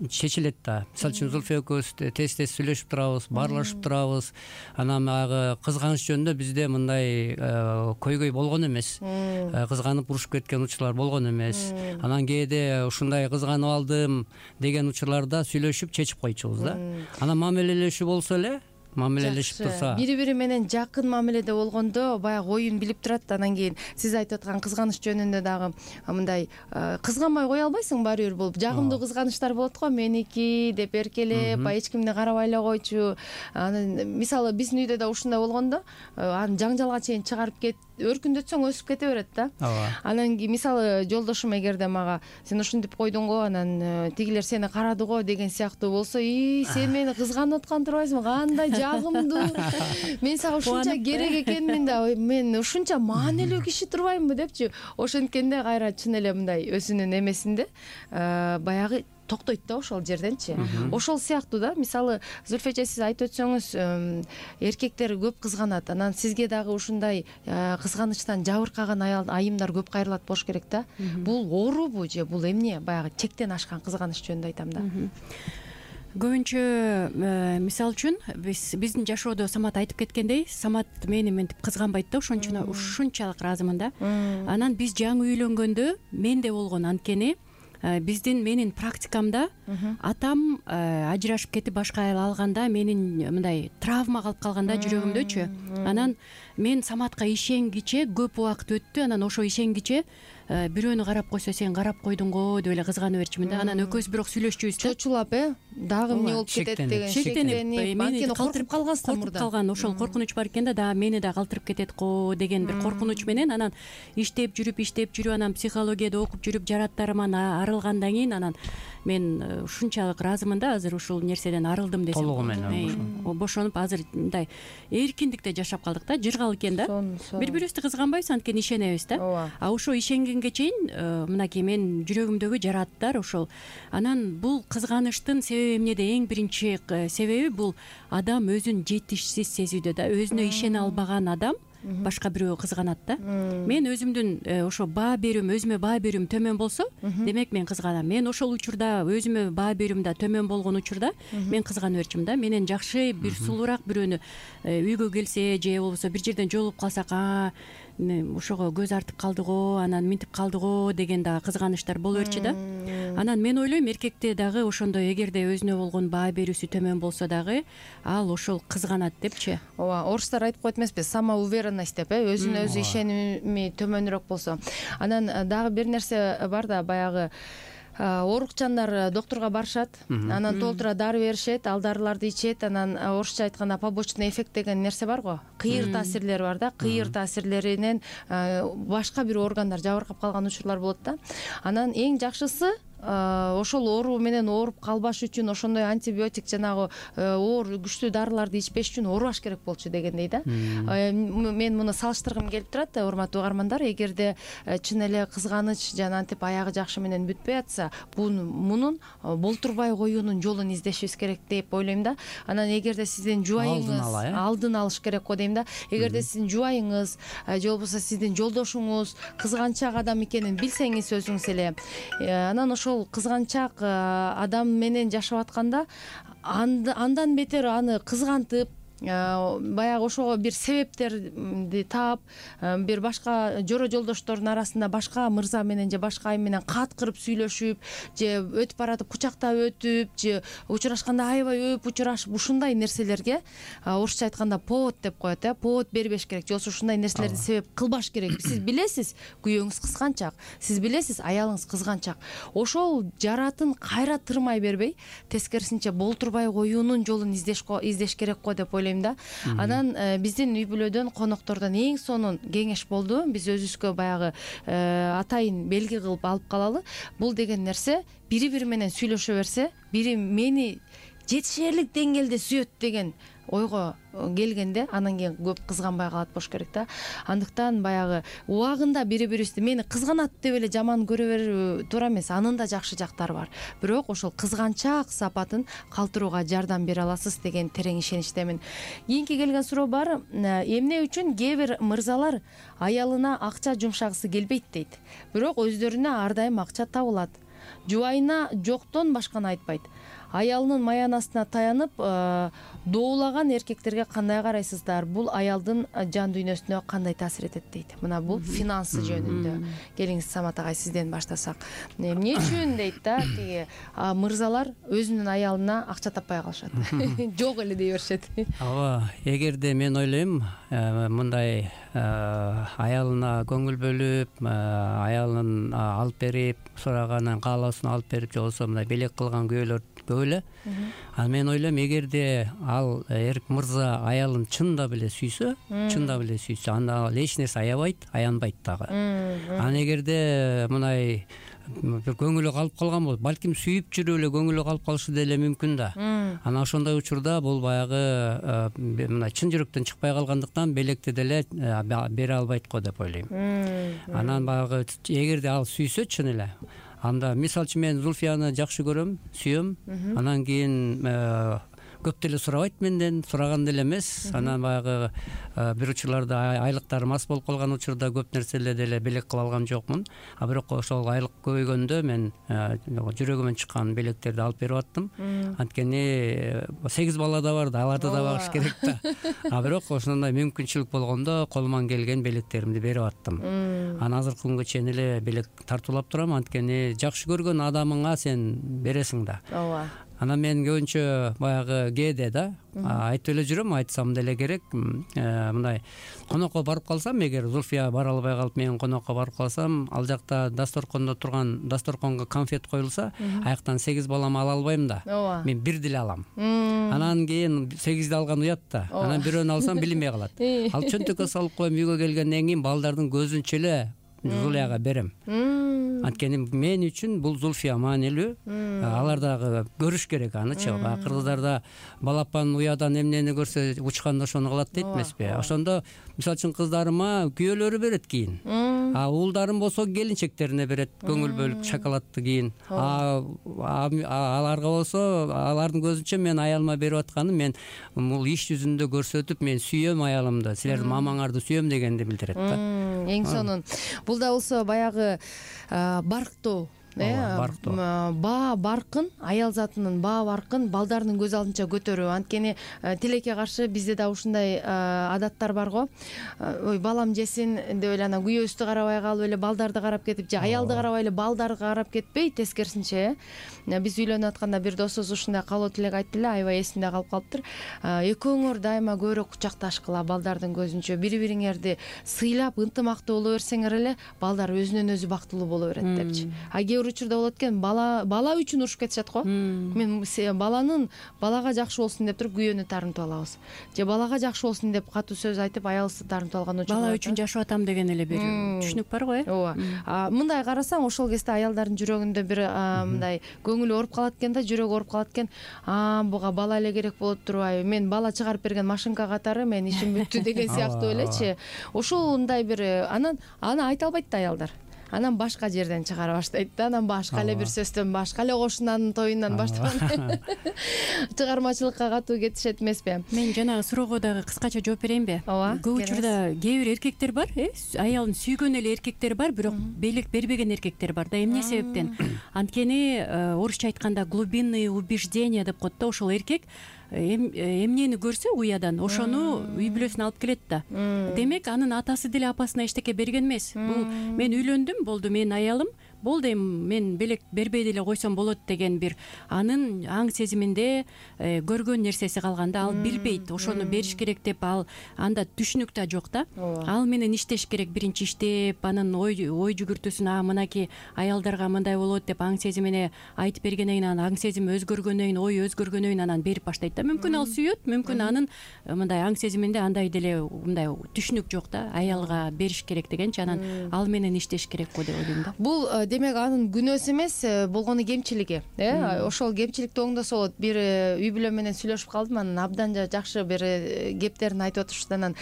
Speaker 3: чечилет да. Мисалы үчүн Зульфия экөөбүз тез-тез сүйлөшүп турабыз, баарлашып турабыз. Анан баягы кызганыч жөнүндө бизде мындай көйгөй болгон эмес. Кызганып урушуп кеткен учурлар болгон эмес. Анан кээде ушундай кызганып алдым деген учурларда сүйлөшүп чечип койчубуз да. Анан мамилелешүү болсо эле, мамилелешип турса,
Speaker 2: бири-бири менен жакын мамиледе болгондо баягы оюн билип турат. Анан кийин сиз айтып аткан кызганыч жөнүндө дагы мындай кызганбай кое албайсың, баары бир бул жагымдуу кызганычтар болот го, меники деп эркелеп, эч кимди карабай эле койчу. Анан мисалы биздин үйдө да ушундай болгондо, аны жаңжалга чейин чыгарып өркүндөтсөң өсүп кете берет да. Анан кийин мисалы жолдошум эгерде мага сен ушинтип койдуң го, анан тигилер сени карады го деген сыяктуу болсо, сен мени кызганып аткан турбайсыңбы, кандай жагымдуу, мен сага ушунча керек экенмин да, мен ушунча маанилүү киши турбаймынбы депчи. Ошенткенде кайра чын эле мындай өзүнүн эмесинде баягы токтойт да ошол жерденчи. Ошол сыяктуу да, мисалы Зульфия эже, сиз айтып өтсөңүз, эркектер көп кызганат, анан сизге дагы ушундай кызганычтан жабыркаган айымдар көп кайрылат болуш керек да. Бул оорубу же бул эмне? Баягы чектен ашкан кызганыч жөнүндө айтам да.
Speaker 4: Көбүнчө мисалы үчүн биздин жашоодо Самат айтып кеткендей, Самат мени мынтип кызганбайт да, ушунчалык ыраазымын да. Анан биз жаңы үйлөнгөндө менде болгон, анткени менин практикамда атам ажырашып кетип башка аял алганда менин мындай травма калып калганда жүрөгүмдөчү. Анан мен Саматка ишенгиче көп убакыт өттү, анан ошо ишенгиче бирөөнү карап койсо сен карап койдуң го деп эле кызганып берчүмүн да. Анан экөөбүз бирок сүйлөшчүбүз да.
Speaker 2: чочулап дагы эмне болуп кетет деген
Speaker 4: шектенип
Speaker 2: анткени калтырып калгансыздар мурда.
Speaker 4: Калган ошол коркунуч бар экен да, дагы мени да калтырып кетет го деген бир коркунуч менен анан иштеп жүрүп анан психологияда окуп жүрүп жараттарыман арылгандан кийин анан мен ушунчалык ыраазымын да азыр ушул нерседен арылдым десем.
Speaker 3: Толугу менен
Speaker 4: бошонуп азыр мындай эркиндикте жашап калдык да, жыргал экен да. Бири бирибизди кызганбайбыз, анткени ишенебиз да. А ошо ишенгенге чейин мынакей мен жүрөгүмдөгү жараттар ошол. Анан бул кызганыштын себеби эмнеде? Эң биринчи себеби бул адам өзүн жетишсиз сезүүдө да. Өзүнө ишене албаган адам башка бирөө кызганат да. Мен өзүмдүн ошо баа берүүм, өзүмө баа берүүм төмөн болсо, демек мен кызганам. Мен ошол учурда өзүмө баа берүүм да төмөн болгон учурда мен кызганып берчүмүн да. Менен жакшы бир сулуураак бирөөнү үйгө келсе же болбосо бир жерден жолугуп калсак, ошого көз артып калды го, анан минтип калды го деген дагы кызганыштар боло берчү да. Анан мен ойлойм эркекте дагы ошондой, эгерде өзүнө болгон баа берүүсү төмөн болсо дагы ал ошол кызганат депчи.
Speaker 2: Ооба, орустар айтып коет эмеспи, самоуверенность деп, өзүнө өзү ишеними төмөнүрөөк болсо. Анан дагы бир нерсе бар да, баягы оорукчандар доктурга барышат, анан толтура дары беришет, ал дарыларды ичет, анан орусча айтканда побочный эффект деген нерсе бар го, кыйыр таасирлери бар да, кыйыр таасирлеринен башка бир органдар жабыркап калган учурлар болот да. Анан эң жакшысы ошол оору менен ооруп калбаш үчүн ошондой антибиотик жанагы оор күчтүү дарыларды ичпеш үчүн оорубаш керек болчу дегендей да. Мен муну салыштыргым келип турат, урматтуу угармандар. Эгерде чын эле кызганыч жана антип аягы жакшы менен бүтпөй атса, мунун болтурбай коюунун жолун издешибиз керек деп ойлойм да. Анан эгерде сиздин жубайыңыз алдын алыш керек го дейм да. Эгерде сиздин жубайыңыз же болбосо сиздин жолдошуңуз кызганчак адам экенин билсеңиз өзүңүз эле, анан ошол кызганчак адам менен жашап атканда андан бетер аны кызгантып, баягы ошого бир себептерди таап, бир башка жоро жолдоштордун арасында башка мырза менен же башка айым менен каткырып сүйлөшүп, же өтүп баратып кучактап өтүп, же учурашканда аябай өп учурашып, ушундай нерселерге орусча айтканда повод деп коет, повод бербеш керек, же болбосо ушундай нерселерди себеп кылбаш керек. Сиз билесиз күйөөңүз кызганчак, сиз билесиз аялыңыз кызганчак, ошол жаратын кайра тырмай бербей, тескерисинче болтурбай коюунун жолун издеш керек го деп ойлойм да. Анан биздин үй бүлөдөн коноктордон эң сонун кеңеш болду. Биз өзүбүзгө баягы атайын белги кылып алып калалы. Бул деген нерсе бири-бири менен сүйлөшө берсе, бири мени жетишерлик деңгээлде сүйөт деген ойго келгенде анан кийин көп кызганбай калат болуш керек да. Андыктан баягы убагында бири-бирибизди мени кызганат деп эле жаман көрө берүү туура эмес. Анын да жакшы жактары бар. Бирок ошол кызганчак сапатын калтырууга жардам бере аласыз деген терең ишеничтемин. Кийинки келген суроо бар. Эмне үчүн кээ бир мырзалар аялына акча жумшагысы келбейт дейт, бирок өздөрүнө ар дайым акча табылат. Жубайына жоктон башканы айтпайт. Аялынын маянасына таянып доулаган эркектерге кандай карайсыздар? Бул аялдын жан дүйнөсүнө кандай таасир этет дейт. Мына бул финансы жөнүндө. Келиңиз Самат агай, сизден баштасак. Эмне үчүн дейт да, тиги мырзалар өзүнүн аялына акча таппай калышат. Жок эле дей беришет.
Speaker 3: Ооба, эгерде мен ойлойм, мындай аялына көңүл бөлүп, аялын алып берип, сураганын каалоосун алып берип, же болбосо мындай белек кылган күйөөлөр көп эле. Анан мен ойлойм, эгерде ал мырза аялын чындап эле сүйсө, анда ал эч нерсе аянбайт дагы. Анан эгерде мындай бир көңүлү калып калган болот, балким сүйүп жүрүп эле көңүлү калып калышы деле мүмкүн да. Анан ошондой учурда бул баягы мындай чын жүрөктөн чыкпай калгандыктан белекти деле бере албайт го деп ойлойм. Анан баягы эгерде ал сүйсө чын эле, анда мисалы үчүн мен Зульфияны жакшы көрөм, сүйөм, анан кийин көп деле сурабайт менден, сураган деле эмес. Анан баягы бир учурларда айлыктарым аз болуп калган учурда көп нерселер деле белек кыла алган жокмун. Бирок ошол айлык көбөйгөндө мен жүрөгүмөн чыккан белектерди алып берип аттым. Анткени 8 бала да бар да, аларды да багыш керек да. Бирок ошондой мүмкүнчүлүк болгондо колуман келген белектеримди берип аттым. Анан азыркы күнгө чейин эле белек тартуулап турам, анткени жакшы көргөн адамыңа сен бересиң да.
Speaker 2: Ооба.
Speaker 3: Анан мен көбүнчө баягы кээде да айтып эле жүрөм, айтсам деле керек. Мындай конокко барып калсам, эгер Зульфия бара албай калып мен конокко барып калсам, ал жакта дасторкондо турган дасторконго конфет коюлса, аяктан 8 балам ала албайм да.
Speaker 2: Ооба.
Speaker 3: Мен бир деле алам. Анан кийин 8ди алган уят да. Анан бирөөнү алсам билинбей калат. Ал чөнтөккө салып коем, үйгө келгенден кийин балдардын көзүнчө эле Зулияга берем. Анткени мен үчүн бул Зульфия маанилүү. Алар дагы көрүш керек анычы. Кыргыздарда балапан уядан эмнени көрсө учканда ошону кылат дейт эмеспи? Ошондо мисалы үчүн кыздарыма күйөөлөрү берет кийин. Уулдарым болсо келинчектерине берет көңүл бөлүп шоколадты кийин. Аларга болсо алардын көзүнчө мен аялыма берип атканым, мен бул иш жүзүндө көрсөтүп, мен сүйөм аялымды, силердин мамаңарды сүйөм дегенди билдирет да.
Speaker 2: Эң сонун. Бул да болсо баягы барктоо, баа баркын, аял затынын баа баркын балдардын көз алдынча көтөрүү. Анткени тилекке каршы бизде да ушундай адаттар бар го. Ой, балам жесин деп эле анан күйөөбүздү карабай калып эле балдарды карап кетип, же аялды карабай эле балдарды карап кетпей, тескерисинче. Биз үйлөнүп атканда бир досубуз ушундай калоо тилек айтты эле, аябай эсимде калып калыптыр. Экөөңөр дайыма көбүрөөк кучакташкыла балдардын көзүнчө, бири-бириңерди сыйлап, ынтымактуу боло берсеңер эле балдар өзүнөн өзү бактылуу боло берет депчи. А кээ бир учурда болот экен, бала үчүн урушуп кетишет го. Мен балага жакшы болсун деп туруп күйөөнү таарынтып алабыз. Же балага жакшы болсун деп катуу сөз айтып аялыбызды таарынтып алган учур.
Speaker 4: Бала үчүн жашап атам деген эле бир түшүнүк бар го,
Speaker 2: Ооба. Мындай карасаң, ошол кезде аялдардын жүрөгүндө бир мындай көңүлү ооруп калат экен да, жүрөгү ооруп калат экен. Буга бала эле керек болуп турбайбы? Мен бала чыгарып берген машинка катары, мен ишим бүттү деген сыяктуу элечи. Ушундай бир аны айта албайт да аялдар. Анан башка жерден чыгара баштайт да, анан башка эле бир сөздөн, башка эле кошунанын тоюнан баштаган чыгармачылыкка катуу кетишет эмеспи?
Speaker 4: Мен жанагы суроого дагы кыскача жооп берейинби?
Speaker 2: Ооба.
Speaker 4: Көп учурда кээ бир эркектер бар, аялын сүйгөн эле эркектер бар, бирок белек бербеген эркектер бар да. Эмне себептен? Анткени орусча айтканда глубинные убеждения деп коет да, ошол эркек эмнени көрсө уядан ошону үй бүлөсүнө алып келет да. Демек анын атасы деле апасына эчтеке берген эмес. Бул мен үйлөндүм, болду, менин аялым болду, эми мен белек бербей деле койсом болот деген бир анын аң сезиминде көргөн нерсеси калганда, ал билбейт, ошону бериш керек деп, ал анда түшүнүк да жок да. Ал менен иштеш керек, биринчи иштеп, анын ой жүгүртүүсүн мынакей аялдарга мындай болот деп аң сезимине айтып бергенден кийин, анан аң сезими өзгөргөндөн кийин, ой өзгөргөндөн кийин анан берип баштайт да. Мүмкүн ал сүйөт, мүмкүн анын мындай аң сезиминде андай деле мындай түшүнүк жок да, аялга бериш керек дегенчи, анан ал менен иштеш керек го деп ойлойм да.
Speaker 2: Бул демек анын күнөөсү эмес, болгону кемчилиги. Ошол кемчиликти оңдосо болот. Бир үй бүлө менен сүйлөшүп калдым, анан абдан жакшы бир кептерин айтып отурушты. Анан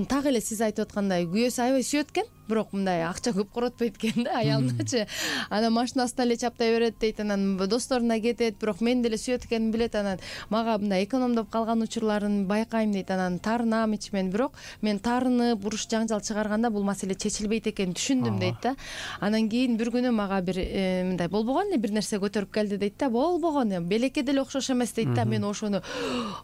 Speaker 2: так эле сиз айтып аткандай, күйөөсү аябай сүйөт экен, бирок мындай акча көп коротпойт экен да аялыначы. Анан машинасына эле чаптай берет дейт, анан досторуна кетет, бирок мен деле сүйөт экенин билет, анан мага мындай экономдоп калган учурларын байкайм дейт. Анан таарынам ичимен, бирок мен таарынып уруш жаңжал чыгарганда бул маселе чечилбейт экенин түшүндүм дейт да. Анан кийин бир күнү мага бир мындай болбогон эле бир нерсе көтөрүп келди дейт да. Болбогон, белекке деле окшош эмес дейт да. Мен ошону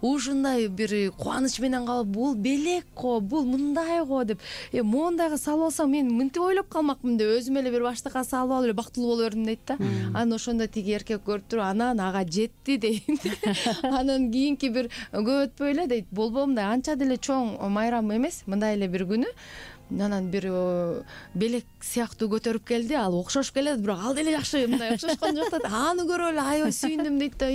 Speaker 2: ушундай бир кубаныч менен калып, бул белек го, бул мындай го деп, моундайга салып алсам мен мынтип ойлоп калмакмын деп өзүм эле бир баштыкка салып алып эле бактылуу боло бердим дейт да. Анан ошондо тиги эркек көрүп туруп, анан ага жетти дейт. Анан кийинки бир көп өтпөй эле дейт, болбоо мындай анча деле чоң майрам эмес, мындай эле бир күнү анан бир белек сыяктуу көтөрүп келди, ал окшошуп келет, бирок ал деле жакшы мындай окшошкон жок да. Аны көрүп эле аябай сүйүндүм дейт да.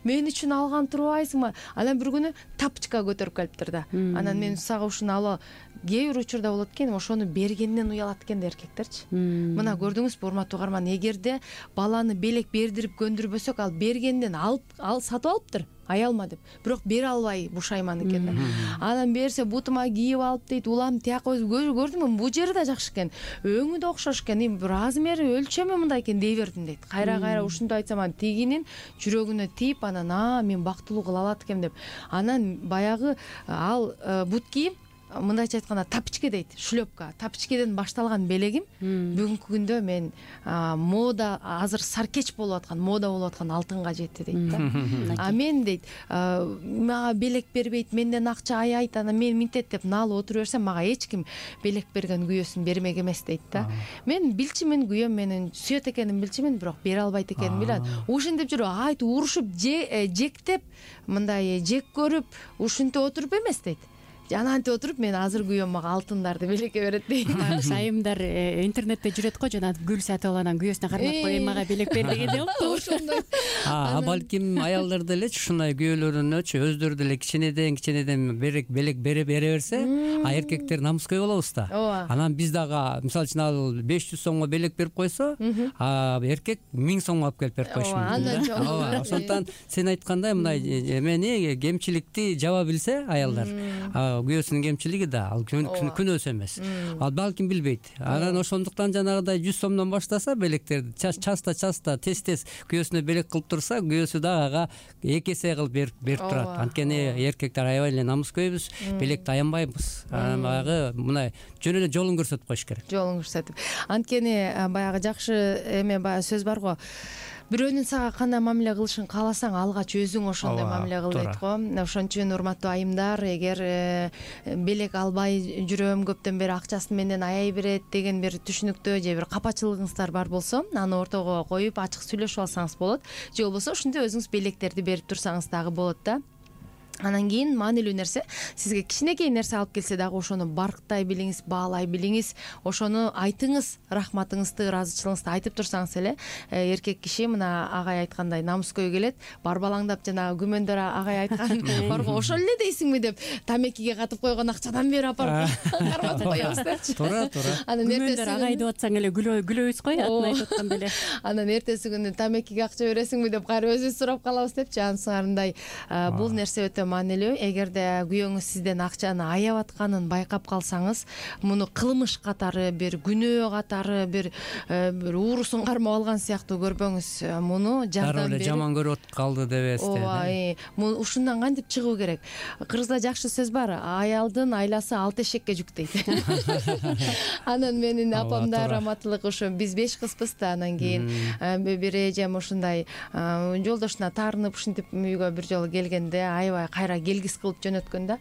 Speaker 2: Мен үчүн алган турбайсыңбы? Анан бир күнү тапочка көтөрүп келиптир да. Анан мен сага ушуну ала, кээ бир учурда болот экен, ошону бергенден уялат экен да эркектерчи. Мына көрдүңүзбү, урматтуу угарман, эгерде баланы белек бердирип көндүрбөсөк, ал бергенден ал сатып алыптыр аялма деп, бирок бере албай бушайман экен да. Анан берсе бутума кийип алып дейт, улам тияка көрдүңбү, бул жери да жакшы экен, өңү да окшош экен, размери өлчөмү мындай экен дей бердим дейт. Кайра ушундай айтсам, анан тигинин жүрөгүнө тийип, анан мен бактылуу кыла алат экем деп. Анан баягы ал бут кийип мындайча айтканда тапочка дейт, шлепка, тапочкеден башталган белегим бүгүнкү күндө мен мода азыр саркеч болуп аткан, мода болуп аткан алтынга жетти дейт да. А мен дейт, мага белек бербейт, менден акча аябайт, анан мен минтет деп налып отура берсем, мага эч ким белек берген күйөөсүн бермек эмес дейт да. Мен билчүмүн, күйөөм менин сүйөт экенин билчүмүн, бирок бере албайт экенин билет. Ушинтип жүрүп айтып урушуп жектеп, мындай жек көрүп, ушинтип отуруп эмес дейт. Жанантип отуруп мен азыр күйөөм мага алтындарды белекке берет дейт.
Speaker 4: Айымдар интернетте жүрөт го, жана гүл сатып алган күнөөсүнө кармап коюп мага белек бер дегенде болду.
Speaker 2: Ошондой.
Speaker 3: Балким аялдар деле ушундай күйөөлөрүнөчү өздөрү деле кичинеден белек бере берсе, эркектер намыскөй болобуз да. Анан биз дагы мисалы үчүн ал 500 сомго белек берип койсо, эркек 1000 сомго алып келип берип коюшу мүмкүн. Ошондуктан сен айткандай мындай эмени кемчиликти жаба билсе аялдар, күйөөсүнүн кемчилиги да ал күнөөсү эмес. Ал балким билбейт. Анан ошондуктан жанагыдай 100 сомдон баштаса белектерди часта тез күйөөсүнө белек кылып турса, күйөөсү дагы ага 2 эсе кылып берип турат. Анткени эркектер аябай эле намыскөйбүз, белекти аянбайбыз. Баягы мындай жөн эле жолун көрсөтүп коюш керек.
Speaker 2: Жолун көрсөтүп. Анткени баягы жакшы эме баягы сөз бар го. Бирөөнүн сага кандай мамиле кылышын кааласаң, алгач өзүң ошондой мамиле кыл дейт го. Ошон үчүн урматтуу айымдар, эгер белек албай жүрөм, көптөн бери акчасын менден аяй берет деген бир түшүнүктүү же бир капачылыгыңыздар бар болсо, аны ортого коюп ачык сүйлөшүп алсаңыз болот. Же болбосо ушинтип өзүңүз белектерди берип турсаңыз дагы болот да. Анан кийин маанилүү нерсе, сизге кичинекей нерсе алып келсе дагы ошону барктай билиңиз, баалай билиңиз, ошону айтыңыз, рахматыңызды, ыраазычылыгыңызды айтып турсаңыз эле, эркек киши мына агай айткандай намыскөй келет, барбалаңдап жана күмөндөр агай айткан барго ошол эле дейсиңби деп тамекиге катып койгон акчадан бери апарып карматып коебуз депчи.
Speaker 3: Туура.
Speaker 2: Анан
Speaker 4: күмөндөр агай деп атсаң эле күлөбүз го, атын айтып атканда эле.
Speaker 2: Анан эртеси күнү тамекиге акча бересиңби деп кайра өзүбүз сурап калабыз депчи. Ансыңарындай бул нерсе өтө маанилүү. Эгерде күйөөңүз сизден акчаны аябап атканын байкап калсаңыз, муну кылмыш катары, бир күнөө катары, бир уурусун кармап алган сыяктуу көрбөңүз. Муну жардам берип,
Speaker 3: жаман көрүп калды дебесиз.
Speaker 2: Муну ушундан кантип чыгуу керек? Кыргызда жакшы сөз бар, аялдын айласы 6 эшекке жүк дейт. Анан менин апамда раматылык ушу биз 5 кызбыз да, анан кийин бир эжем ушундай жолдошуна таарынып ушинтип үйгө бир жолу келгенде аябай кайра келгис кылып жөнөткөндө,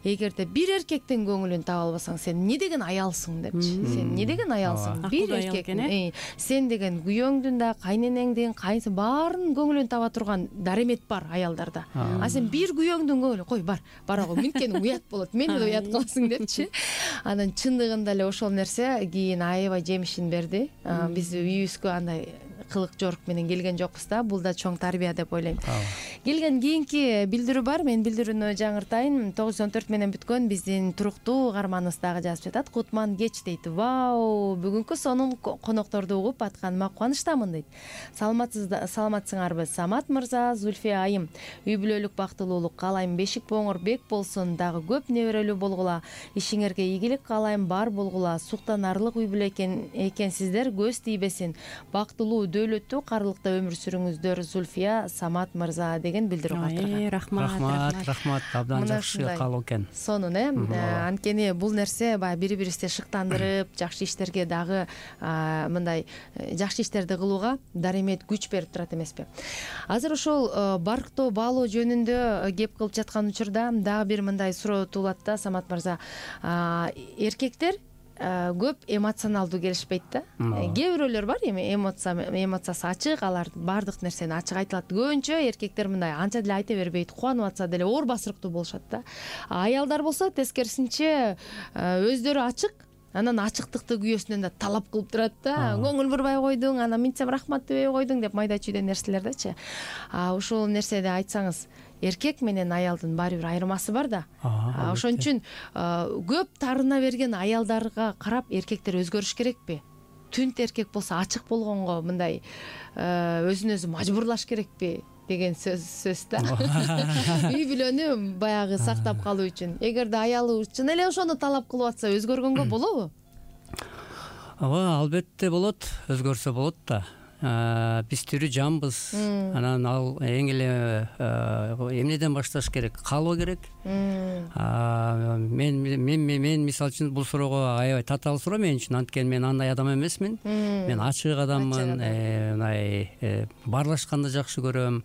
Speaker 2: эгерде бир эркектин көңүлүн таба албасаң, сен эмне деген аялсың депчи. Сен эмне деген аялсың? Бир эркектин, сен деген күйөөңдүн да, кайненеңдин, кайсы баарынын көңүлүн таба турган даремет бар аялдарда. А сен бир күйөөңдүн көңүлүн кой, барагы минткени уят болот, мени да уят кыласың депчи. Анан чындыгында эле ошол нерсе кийин аябай жемишин берди. Биз үйүбүзгө андай кылык жорук менен келген жокпуз да, бул да чоң тарбия деп ойлойм. Келген кийинки билдирүү бар, мен билдирүүнү жаңыртайын. 914 менен бүткөн биздин туруктуу угарманыбыз дагы жазып жатат. Кутман кеч дейт. Вау, бүгүнкү сонун конокторду угуп атканыма кубанычтамын дейт. Саламатсыңарбы Самат мырза, Зульфия айым. Үй бүлөлүк бактылуулук каалайм, бешик боңор бек болсун, дагы көп неберелүү болгула. Ишиңерге ийгилик каалайм, бар болгула. Суктанарлык үй бүлө экенсиздер, көз тийбесин. Бактылуу, дөөлөттүү, карлыкта өмүр сүрүңүздөр, Зульфия Самат мырза деген билдирүү калтырган.
Speaker 3: Рахмат. Абдан жакшы каалоо экен.
Speaker 2: Сонун анткени бул нерсе баягы бири-бирибизди шыктандырып, жакшы иштерге дагы мындай жакшы иштерди кылууга даремет күч берип турат эмеспи. Азыр ошол барктоо баалоо жөнүндө кеп кылып жаткан учурда дагы бир мындай суроо туулат да, Самат мырза. Эркектер көп эмоционалдуу келишпейт да. Кээ бирөөлөр бар эми эмоциясы ачык, алар баардык нерсени ачык айтылат. Көбүнчө эркектер мындай анча деле айта бербейт, кубанып атса деле оор басырыктуу болушат да. Аялдар болсо тескерисинче өздөрү ачык, анан ачыктыкты күйөөсүнөн да талап кылып турат да. Көңүл бурбай койдуң, анан минтсем рахмат дебей койдуң деп майда чүйдө нерселердечи. Ушул нерседи айтсаңыз, эркек менен аялдын баары бир айырмасы бар да. Ошон үчүн көп таарына берген аялдарга карап эркектер өзгөрүш керекпи? Түнт эркек болсо ачык болгонго мындай өзүн өзү мажбурлаш керекпи деген сөз да. Үй бүлөнү баягы сактап калуу үчүн. Эгерде аялы чын эле ошону талап кылып атса, өзгөргөнгө болобу?
Speaker 3: Албетте болот, өзгөрсө болот да. биз тирүү жанбыз. Анан ал эң эле эмнеден башташ керек? Каалоо керек. Мен мисалы үчүн бул суроого аябай татаал суроо мен үчүн, анткени мен андай адам эмесмин. Мен ачык адаммын. Мындай баарлашканды жакшы көрөм.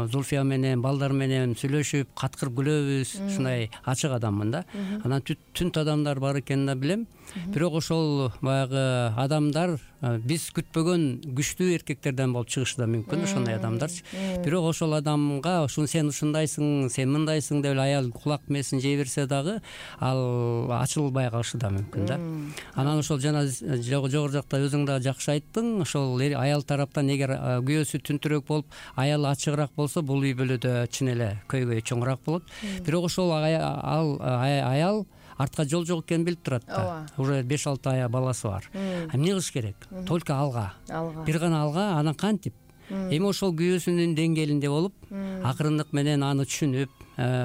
Speaker 3: Зульфия менен, балдар менен сүйлөшүп, каткырып күлөбүз. Ушундай ачык адаммын да. Анан түнт адамдар бар экенин да билем. Бирок ошол баягы адамдар биз күтпөгөн күчтүү эркектерден болуп чыгышы да мүмкүн, ошондой адамдарчы. Бирок ошол адамга сен ушундайсың, сен мындайсың деп эле аял кулак мээсин жей берсе дагы ал ачылбай калышы да мүмкүн да. Анан ошол жана жогору жакта өзүң да жакшы айттың, ошол аял тараптан эгер күйөөсү түнтүрөөк болуп, аялы ачыгыраак болсо, бул үй бүлөдө чын эле көйгөй чоңураак болот. Бирок ошол аял артка жол жок экенин билип турат да. Уже 5-6 баласы бар. Эмне кылыш керек? Только алга. Бир гана алга, анан кантип? Эми ошол күйөөсүнүн деңгээлинде болуп, акырындык менен аны түшүнүп,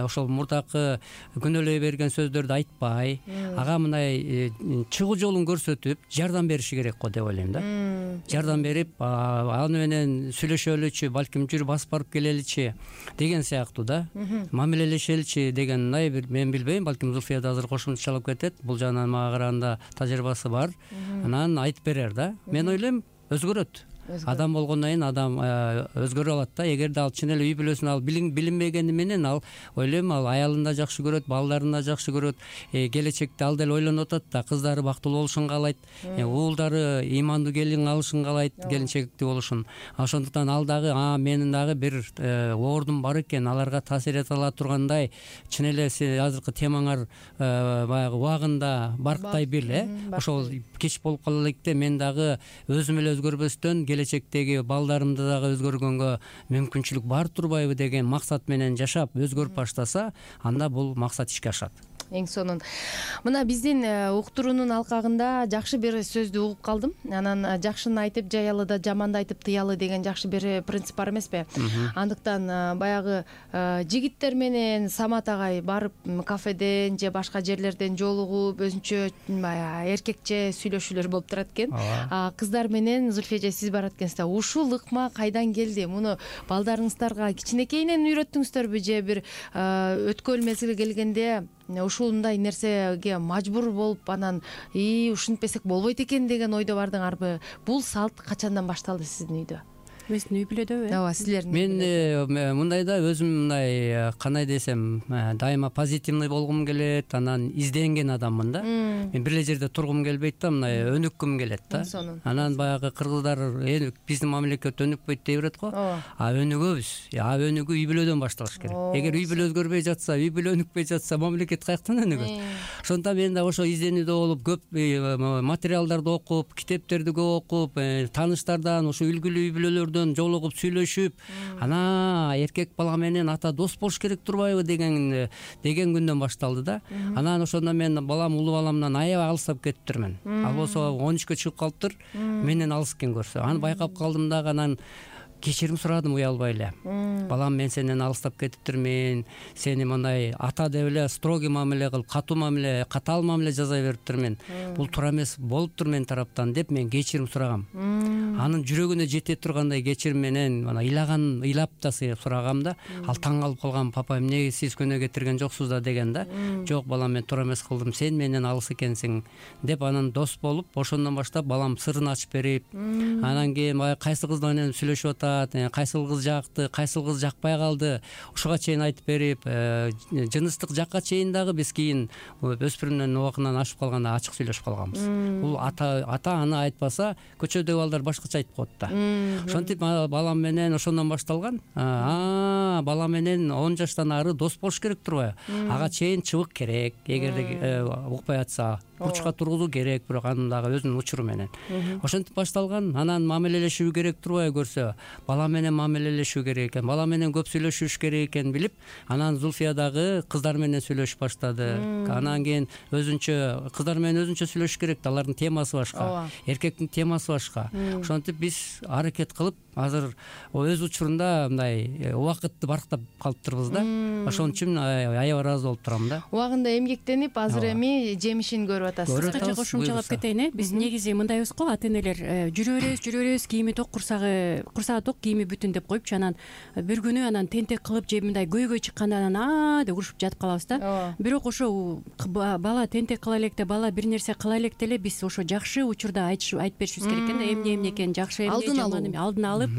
Speaker 3: ошол мурдакы күнөөлөй берген сөздөрдү айтпай, ага мындай чыгуу жолун көрсөтүп, жардам бериши керек го деп ойлойм да. Жардам берип, аны менен сүйлөшөлүчү, балким жүр басып барып келеличи деген сыяктуу да. Мамилелешеличи дегендай бир мен билбейм, балким Зульфия да азыр кошумчалап кетет. Бул жагынан мага караганда тажрыйбасы бар. Анан айтып берер да. Мен ойлойм, өзгөрөт. Адам болгондон кийин адам өзгөрө алат да. Эгерде ал чын эле үй бүлөсүн ал билинбегени менен ал ойлойм, ал аялын да жакшы көрөт, балдарын да жакшы көрөт. Келечекте ал деле ойлонуп атат да, кыздары бактылуу болушун каалайт, уулдары имандуу келин алышын каалайт, келинчектүү болушун. Ошондуктан ал дагы менин дагы бир ордум бар экен, аларга таасир эте ала тургандай, чын эле азыркы темаңар баягы убагында барктай бил, ошол кеч болуп кала электе мен дагы өзүм эле өзгөрбөстөн келечектеги балдарымды дагы өзгөргөнгө мүмкүнчүлүк бар турбайбы деген максат менен жашап өзгөрүп баштаса, анда бул максат ишке ашат.
Speaker 2: Эң сонун. Мына биздин уктуруунун алкагында жакшы бир сөздү угуп калдым. Анан жакшыны айтып жаялы, жаманды айтып тыялы деген жакшы бир принцип бар эмеспи? Андыктан баягы жигиттер менен Самат агай барып кафеден же башка жерлерден жолугуп өзүнчө эркекче сүйлөшүүлөр болуп турат экен. Кыздар менен Зульфия эже сиз барат экенсиз. Ушул ыкма кайдан келди? Муну балдарыңыздарга кичинекейинен үйрөттүңүздөрбү же бир өткөл мезгили келгенде ушундай нерсеге мажбур болуп анан ушинтпесек болбойт экен деген ойдо бардыңарбы? Бул салт качандан башталды сиздин үйдө?
Speaker 4: Биздин үй бүлөдөбү?
Speaker 2: Ооба, силердин.
Speaker 3: Мен мындай да өзүм мындай кандай десем, дайыма позитивный болгум келет, анан изденген адаммын да. Мен бир эле жерде тургум келбейт да, мындай өнүккүм келет да. Анан баягы кыргыздар биздин мамлекет өнүкпөйт дей берет го. Өнүгөбүз. Өнүгүү үй бүлөдөн башталыш керек. Эгер үй бүлө өзгөрбөй жатса, үй бүлө өнүкпөй жатса, мамлекет каяктан өнүгөт? Ошондуктан мен да ошо изденүүдө болуп, көп материалдарды окуп, китептерди көп окуп, тааныштардан ошо үлгүлүү үй бүлөлөр жолугуп сүйлөшүп, ана эркек бала менен ата дос болуш керек турбайбы деген күндөн башталды да. Анан ошондо мен балам, улуу баламдан аябай алыстап кетиптирмин. Ал болсо 13кө чыгып калыптыр, менден алыс экен көрсө. Аны байкап калдым дагы, анан кечирим сурадым уялбай эле. Балам, мен сенден алыстап кетиптирмин. Сени мындай ата деп эле строгий мамиле кылып, катаал мамиле жасай бериптирмин. Бул туура эмес болуптур мен тараптан деп мен кечирим сурагам. Анын жүрөгүнө жете тургандай кечирим менен ыйлап да сурагам да. Ал таң калып калган, папа эмне сиз күнөө кетирген жоксуз да деген да. Жок балам, мен туура эмес кылдым, сен менен алыс экенсиң деп анан дос болуп, ошондон баштап балам сырын ачып берип, анан кийин баягы кайсы кыз менен сүйлөшүп атат, кайсыл кыз жакты, кайсыл кыз жакпай калды, ушуга чейин айтып берип, жыныстык жакка чейин дагы биз кийин өспүрүмдүн убагынан ашып калганда ачык сүйлөшүп калганбыз. Бул ата аны айтпаса көчөдөгү балдар башкача айтып коет да. Ошентип балам менен ошондон башталган. Бала менен 10 жаштан ары дос болуш керек турбайбы? Ага чейин чыбык керек. Эгерде укпай атса, бурчка тургузуу керек, бирок анын дагы өзүнүн учуру менен. Ошентип башталган. Анан мамилелешүү керек турбайбы көрсө, бала менен мамилелешүү керек экен, бала менен көп сүйлөшүш керек экен билип, анан Зульфия дагы кыздар менен сүйлөшүп баштады. Анан кийин кыздар менен өзүнчө сүйлөшүш керек да, алардын темасы башка, эркектин темасы башка. ошентип биз аракет кылып азыр өз учурунда мындай убакытты барктап калыптырбыз да. Ошон үчүн аябай ыраазы болуп турам да.
Speaker 2: Убагында эмгектенип азыр эми жемишин көрүп атасыз.
Speaker 4: Кыскача кошумчалап кетейин. Биз негизи мындайбыз го, ата энелер жүрө беребиз, кийими ток, курсагы ток, кийими бүтүн деп коюпчу, анан бир күнү анан тентек кылып же мындай көйгөй чыкканда анан деп урушуп жатып калабыз да. Бирок ошо бала тентек кыла электе, бала бир нерсе кыла электе эле биз ошо жакшы учурда айтып беришибиз керек экен да, эмне экенин, жакшы эмне, жаман эмне алдын алып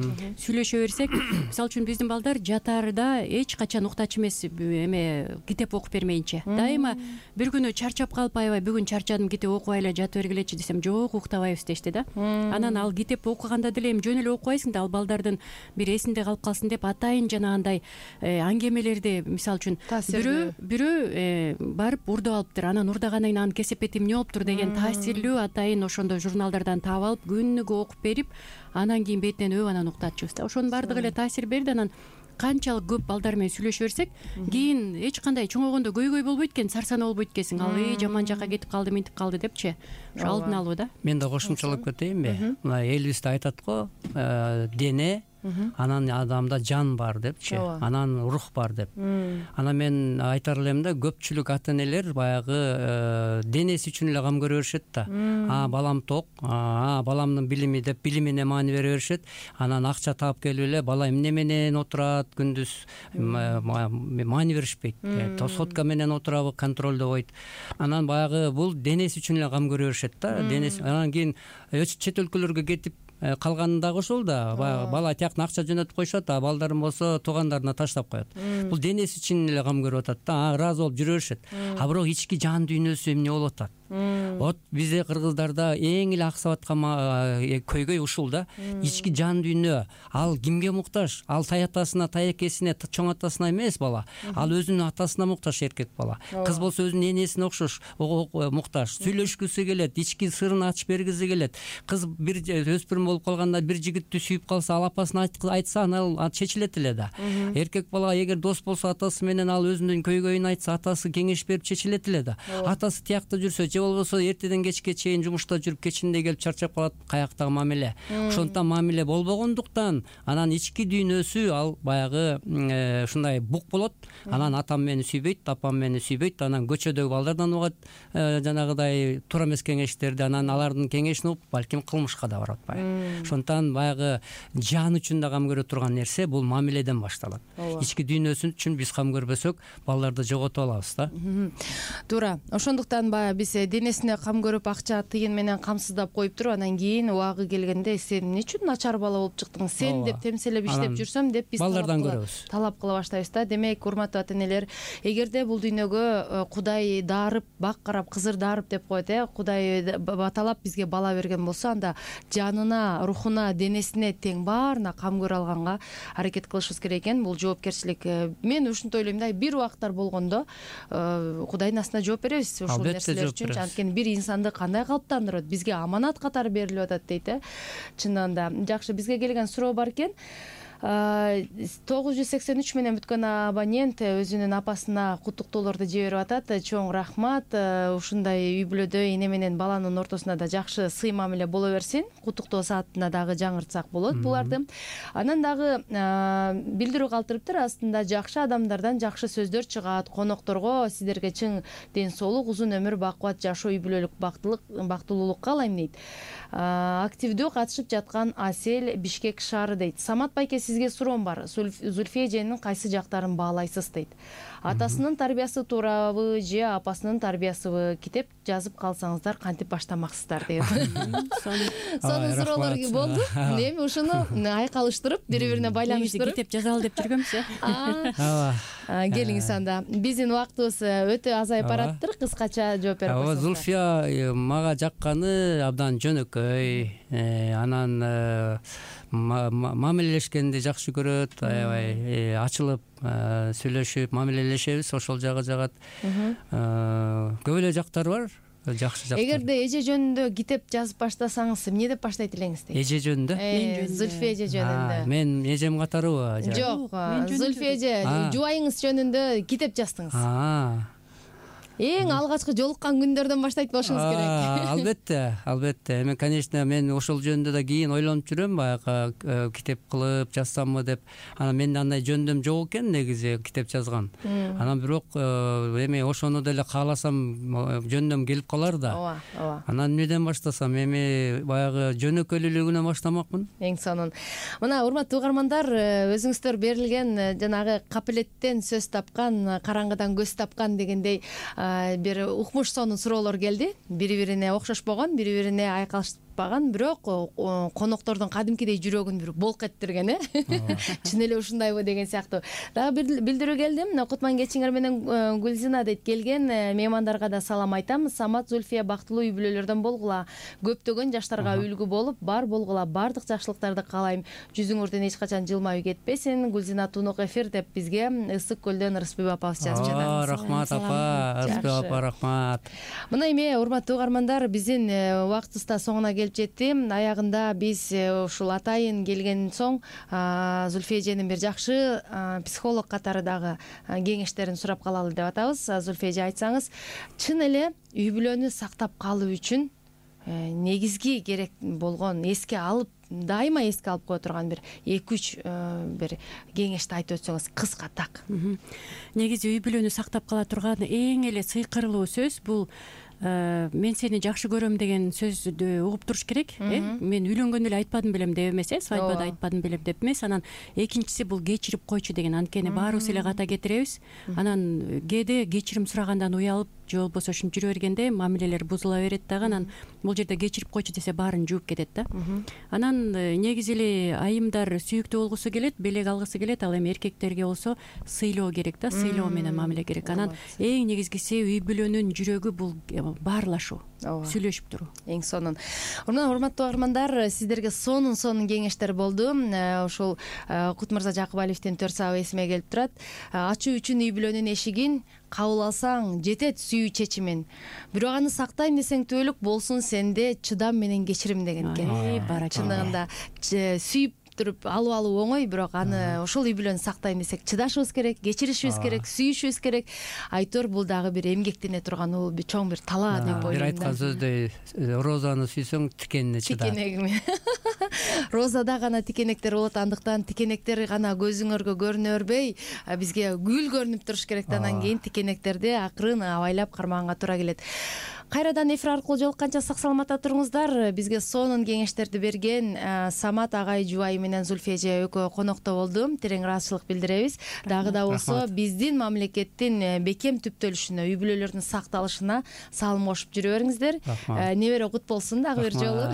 Speaker 4: сүйлөшө берсек. Мисалы үчүн биздин балдар жатаарда эч качан уктачу эмес, эме китеп окуп бермейинче. Дайыма бир күнү чарчап калып, аябай бүгүн чарчадым, китеп окубай эле жата бергилечи десем, жок, уктабайбыз дешти да. Анан ал китеп окуганда деле эми жөн эле окубайсың да, ал балдардын бир эсинде калып калсын деп атайын жанагындай аңгемелерди, мисалы үчүн бирөө барып урдап алыптыр, анан урдагандан кийин анын кесепети эмне болуптур деген таасирлүү атайын ошондой журналдардан таап алып күнүгө окуп берип, анан кийин бетинен анан уктатчубуз да. Ошонун баардыгы эле таасир берди. Анан канчалык көп балдар менен сүйлөшө берсек, кийин эч кандай чоңойгондо көйгөй болбойт экен, сарсанаа болбойт экенсиң. Ал жаман жакка кетип калды, минтип калды депчи. Ошо алдын алуу да.
Speaker 3: Мен да кошумчалап кетейинби? Мына Элвис да айтат го, дене, анан адамда жан бар депчи, анан рух бар деп. Анан мен айтар элем да, көпчүлүк ата энелер баягы денеси үчүн эле кам көрө беришет да. Балам ток, баламдын билими деп билимине маани бере беришет. Анан акча таап келип эле бала эмне менен отурат, күндүз маани беришпейт. Сотка менен отурабы, контролдобойт. Анан баягы бул денеси үчүн эле кам көрө беришет да. Денеси. Анан кийин чет өлкөлөргө кетип калганы дагы ошол да. Бала тияктан акча жөнөтүп коюшат, балдарын болсо туугандарына таштап коет. Бул денеси үчүн эле кам көрүп атат да, ыраазы болуп жүрө беришет. Бирок ички жан дүйнөсү эмне болуп атат? Вот бизде кыргыздарда эң эле аксап аткан көйгөй ушул да. Ички жан дүйнө, ал кимге муктаж? Ал атасына, таекесине, чоң атасына эмес бала. Ал өзүнүн атасына муктаж эркек бала. Кыз болсо өзүнүн энесине окшош муктаж. Сүйлөшкүсү келет, ички сырын ачып бергиси келет. Кыз бир өспүрүм болуп калганда бир жигитти сүйүп калса, ал апасына айтса, анан ал чечилет эле да. Эркек бала эгер дос болсо атасы менен, ал өзүнүн көйгөйүн айтса, атасы кеңеш берип чечилет эле да. Атасы тиякта жүрсө, же болбосо эртеден кечке чейин жумушта жүрүп, кечинде келип чарчап калат, каяктагы мамиле. Ошондуктан мамиле болбогондуктан анан ички дүйнөсү ал баягы ушундай бук болот. Анан атам мени сүйбөйт, апам мени сүйбөйт, анан көчөдөгү балдардан угат жанагыдай туура эмес кеңештерди, анан алардын кеңешин угуп, балким кылмышка да барып атпайбы. Ошондуктан баягы жан үчүн да кам көрө турган нерсе бул мамиледен башталат. Ички дүйнөсү үчүн биз кам көрбөсөк, балдарды жоготуп алабыз да.
Speaker 2: Туура. Ошондуктан баягы биз денесине кам көрүп, акча тыйын менен камсыздап коюп туруп, анан кийин убагы келгенде сен эмне үчүн начар бала болуп чыктың, сен деп темселеп иштеп жүрсөм деп биз
Speaker 3: балдардан көрөбүз.
Speaker 2: Талап кыла баштайбыз да. Демек, урматтуу ата энелер, эгерде бул дүйнөгө Кудай дарып, бак карап, кызыр дарып деп коет, Кудай баталап бизге бала берген болсо, анда жанына, рухуна, денесине тең баарына кам көрө алганга аракет кылышыбыз керек экен. Бул жоопкерчилик. Мен ушинтип ойлойм да, бир убакыттар болгондо Кудайдын астына жооп беребиз ушул нерселер үчүн. Анткени бир инсанды кандай калыптандырат, бизге аманат катары берилип атат дейт. Чынында да жакшы. Бизге келген суроо бар экен. 983 менен бүткөн абонент өзүнүн апасына куттуктоолорду жиберип атат. Чоң рахмат. Ушундай үй бүлөдө эне менен баланын ортосунда да жакшы сый мамиле боло берсин. Куттуктоо саатына дагы жаңыртсак болот буларды. Анан дагы билдирүү калтырыптыр. Астында жакшы адамдардан жакшы сөздөр чыгат. Конокторго сиздерге чың ден соолук, узун өмүр, бакубат жашоо, үй бүлөлүк бактылуулук каалайм дейт. Активдүү катышып жаткан Асел, Бишкек шаары дейт. Самат байке, сизге суроом бар. Зульфия эженин кайсы жактарын баалайсыз дейт. Атасынын тарбиясы туурабы же апасынын тарбиясыбы? Китеп жазып калсаңыздар кантип баштамаксыздар дейт. Сонун суроолор болду. Эми ушуну айкалыштырып, бири-бирине байланыштырып
Speaker 4: китеп жазалы деп жүргөнбүз.
Speaker 2: Келиңиз анда. Биздин убактыбыз өтө азайып бараттыр. Кыскача жооп берип койсоңуздар.
Speaker 3: Зульфия мага жакканы абдан жөнөкөй. Анан мамилелешкенди жакшы көрөт, аябай ачылып сүйлөшүп мамилелешебиз, ошол жагы жагат. Көп эле жактар бар, жакшы жактар.
Speaker 2: Эгерде эже жөнүндө китеп жазып баштасаңыз, эмне деп баштайт элеңиз дейт?
Speaker 3: Эже жөнүндө?
Speaker 2: Зульфия эже жөнүндө.
Speaker 3: Мен эжем катарыбы?
Speaker 2: Жок, Зульфия эже жубайыңыз жөнүндө китеп жаздыңыз. эң алгачкы жолуккан күндөрдөн баштайт болушуңуз керек.
Speaker 3: Албетте эми конечно мен ошол жөнүндө да кийин ойлонуп жүрөм, баягы китеп кылып жазсамбы деп. Анан менде андай жөндөм жок экен негизи китеп жазган. Анан бирок эми ошону деле кааласам жөндөм келип калар да.
Speaker 2: Ооба.
Speaker 3: Анан эмнеден баштасам, эми баягы жөнөкөйлүүлүгүнөн баштамакмын.
Speaker 2: Эң сонун. Мына урматтуу угармандар, өзүңүздөр берилген жанагы капелеттен сөз тапкан, караңгыдан көз тапкан дегендей бир укмуш сонун суроолор келди. Бири-бирине окшошпогон, бири-бирине айкалышпаган, бирок коноктордун кадимкидей жүрөгүн бир болк эттирген, чын эле ушундайбы деген сыяктуу. Дагы билдирүү келди. Кутман кечиңер менен Гүлзина дейт, келген меймандарга да салам айтам. Самат, Зульфия бактылуу үй бүлөлөрдөн болгула. Көптөгөн жаштарга үлгү болуп, бар болгула. Бардык жакшылыктарды каалайм. Жүзүңөрдөн эч качан жылмаюу кетпесин. Гүлзина Тунук эфир деп бизге Ысык көлдөн Рыспек апабыз жазып жатат.
Speaker 3: Рахмат апа, Рыспек апа, рахмат.
Speaker 2: Мына эми урматтуу угармандар, биздин убактыбыз да соңуна келип жетти. Аягында биз ушул атайын келген соң Зульфия эженин бир жакшы психолог катары дагы кеңештерин сурап калалы деп атабыз. Зульфия эже, айтсаңыз, чын эле үй бүлөнү сактап калуу үчүн негизги керек болгон, эске алып, дайыма эске алып кое турган бир 2-3 бир кеңешти айтып өтсөңүз кыска так.
Speaker 4: Негизи үй бүлөнү сактап кала турган эң эле сыйкырлуу сөз бул мен сени жакшы көрөм деген сөздү угуп туруш керек. Мен үйлөнгөндө эле айтпадым белем деп эмес, свадьбада айтпадым белем деп эмес. Анан экинчиси бул кечирип койчу деген. Анткени баарыбыз эле ката кетиребиз. Анан кээде кечирим сурагандан уялып, же болбосо ушинтип жүрө бергенде мамилелер бузула берет дагы. Анан бул жерде кечирип койчу десе баарын жууп кетет да. Анан негизи эле айымдар сүйүктүү болгусу келет, белек алгысы келет. Ал эми эркектерге болсо сыйлоо керек да, сыйлоо менен мамиле керек. Анан эң негизгиси үй бүлөнүн жүрөгү бул баарлашуу, сүйлөшүп туруу.
Speaker 2: Эң сонун. Урматтуу угармандар, сиздерге сонун кеңештер болду. Ушул Кут мырза Жакыбалиевдин 4 саба эсиме келип турат. Ачуу үчүн үй бүлөнүн эшигин кабыл алсаң жетет сүйүү чечимин. Бирок аны сактайм десең түбөлүк болсун сенде чыдам менен кечирим деген экен. Чындыгында сүйүп туруп алуу оңой, бирок аны ошол үй бүлөнү сактайм десек чыдашыбыз керек, кечиришибиз керек, сүйүшүбүз керек. Айтор бул дагы бир эмгектене турган чоң бир талаа деп ойлойм.
Speaker 3: Бир айткан сөздөй, розаны сүйсөң тикенине чыда.
Speaker 2: Тикенегиме. Розада гана тикенектер болот, андыктан тикенектер гана көзүңөргө көрүнө бербей, бизге гүл көрүнүп туруш керек. Андан кийин тикенектерди акырын абайлап кармаганга туура келет. Кайрадан эфир аркылуу жолукканча сак саламатта туруңуздар. Бизге сонун кеңештерди берген Самат агай жубайы менен Зульфия эже экөө конокто болду. Терең ыраазычылык билдиребиз. Дагы да болсо биздин мамлекеттин бекем түптөлүшүнө, үй бүлөлөрдүн сакталышына салым кошуп жүрө бериңиздер. Небере кут болсун дагы бир жолу.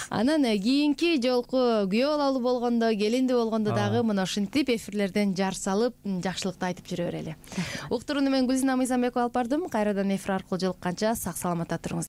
Speaker 2: Анан кийинки жолку күйөө балалуу болгондо, келиндүү болгондо дагы мына ушинтип эфирлерден жар салып, жакшылыкты айтып жүрө берели. Уктурууну мен Гүлзина Мыйзамбекова алып бардым. Кайрадан эфир аркылуу жолукканча сак саламатта туруңуз.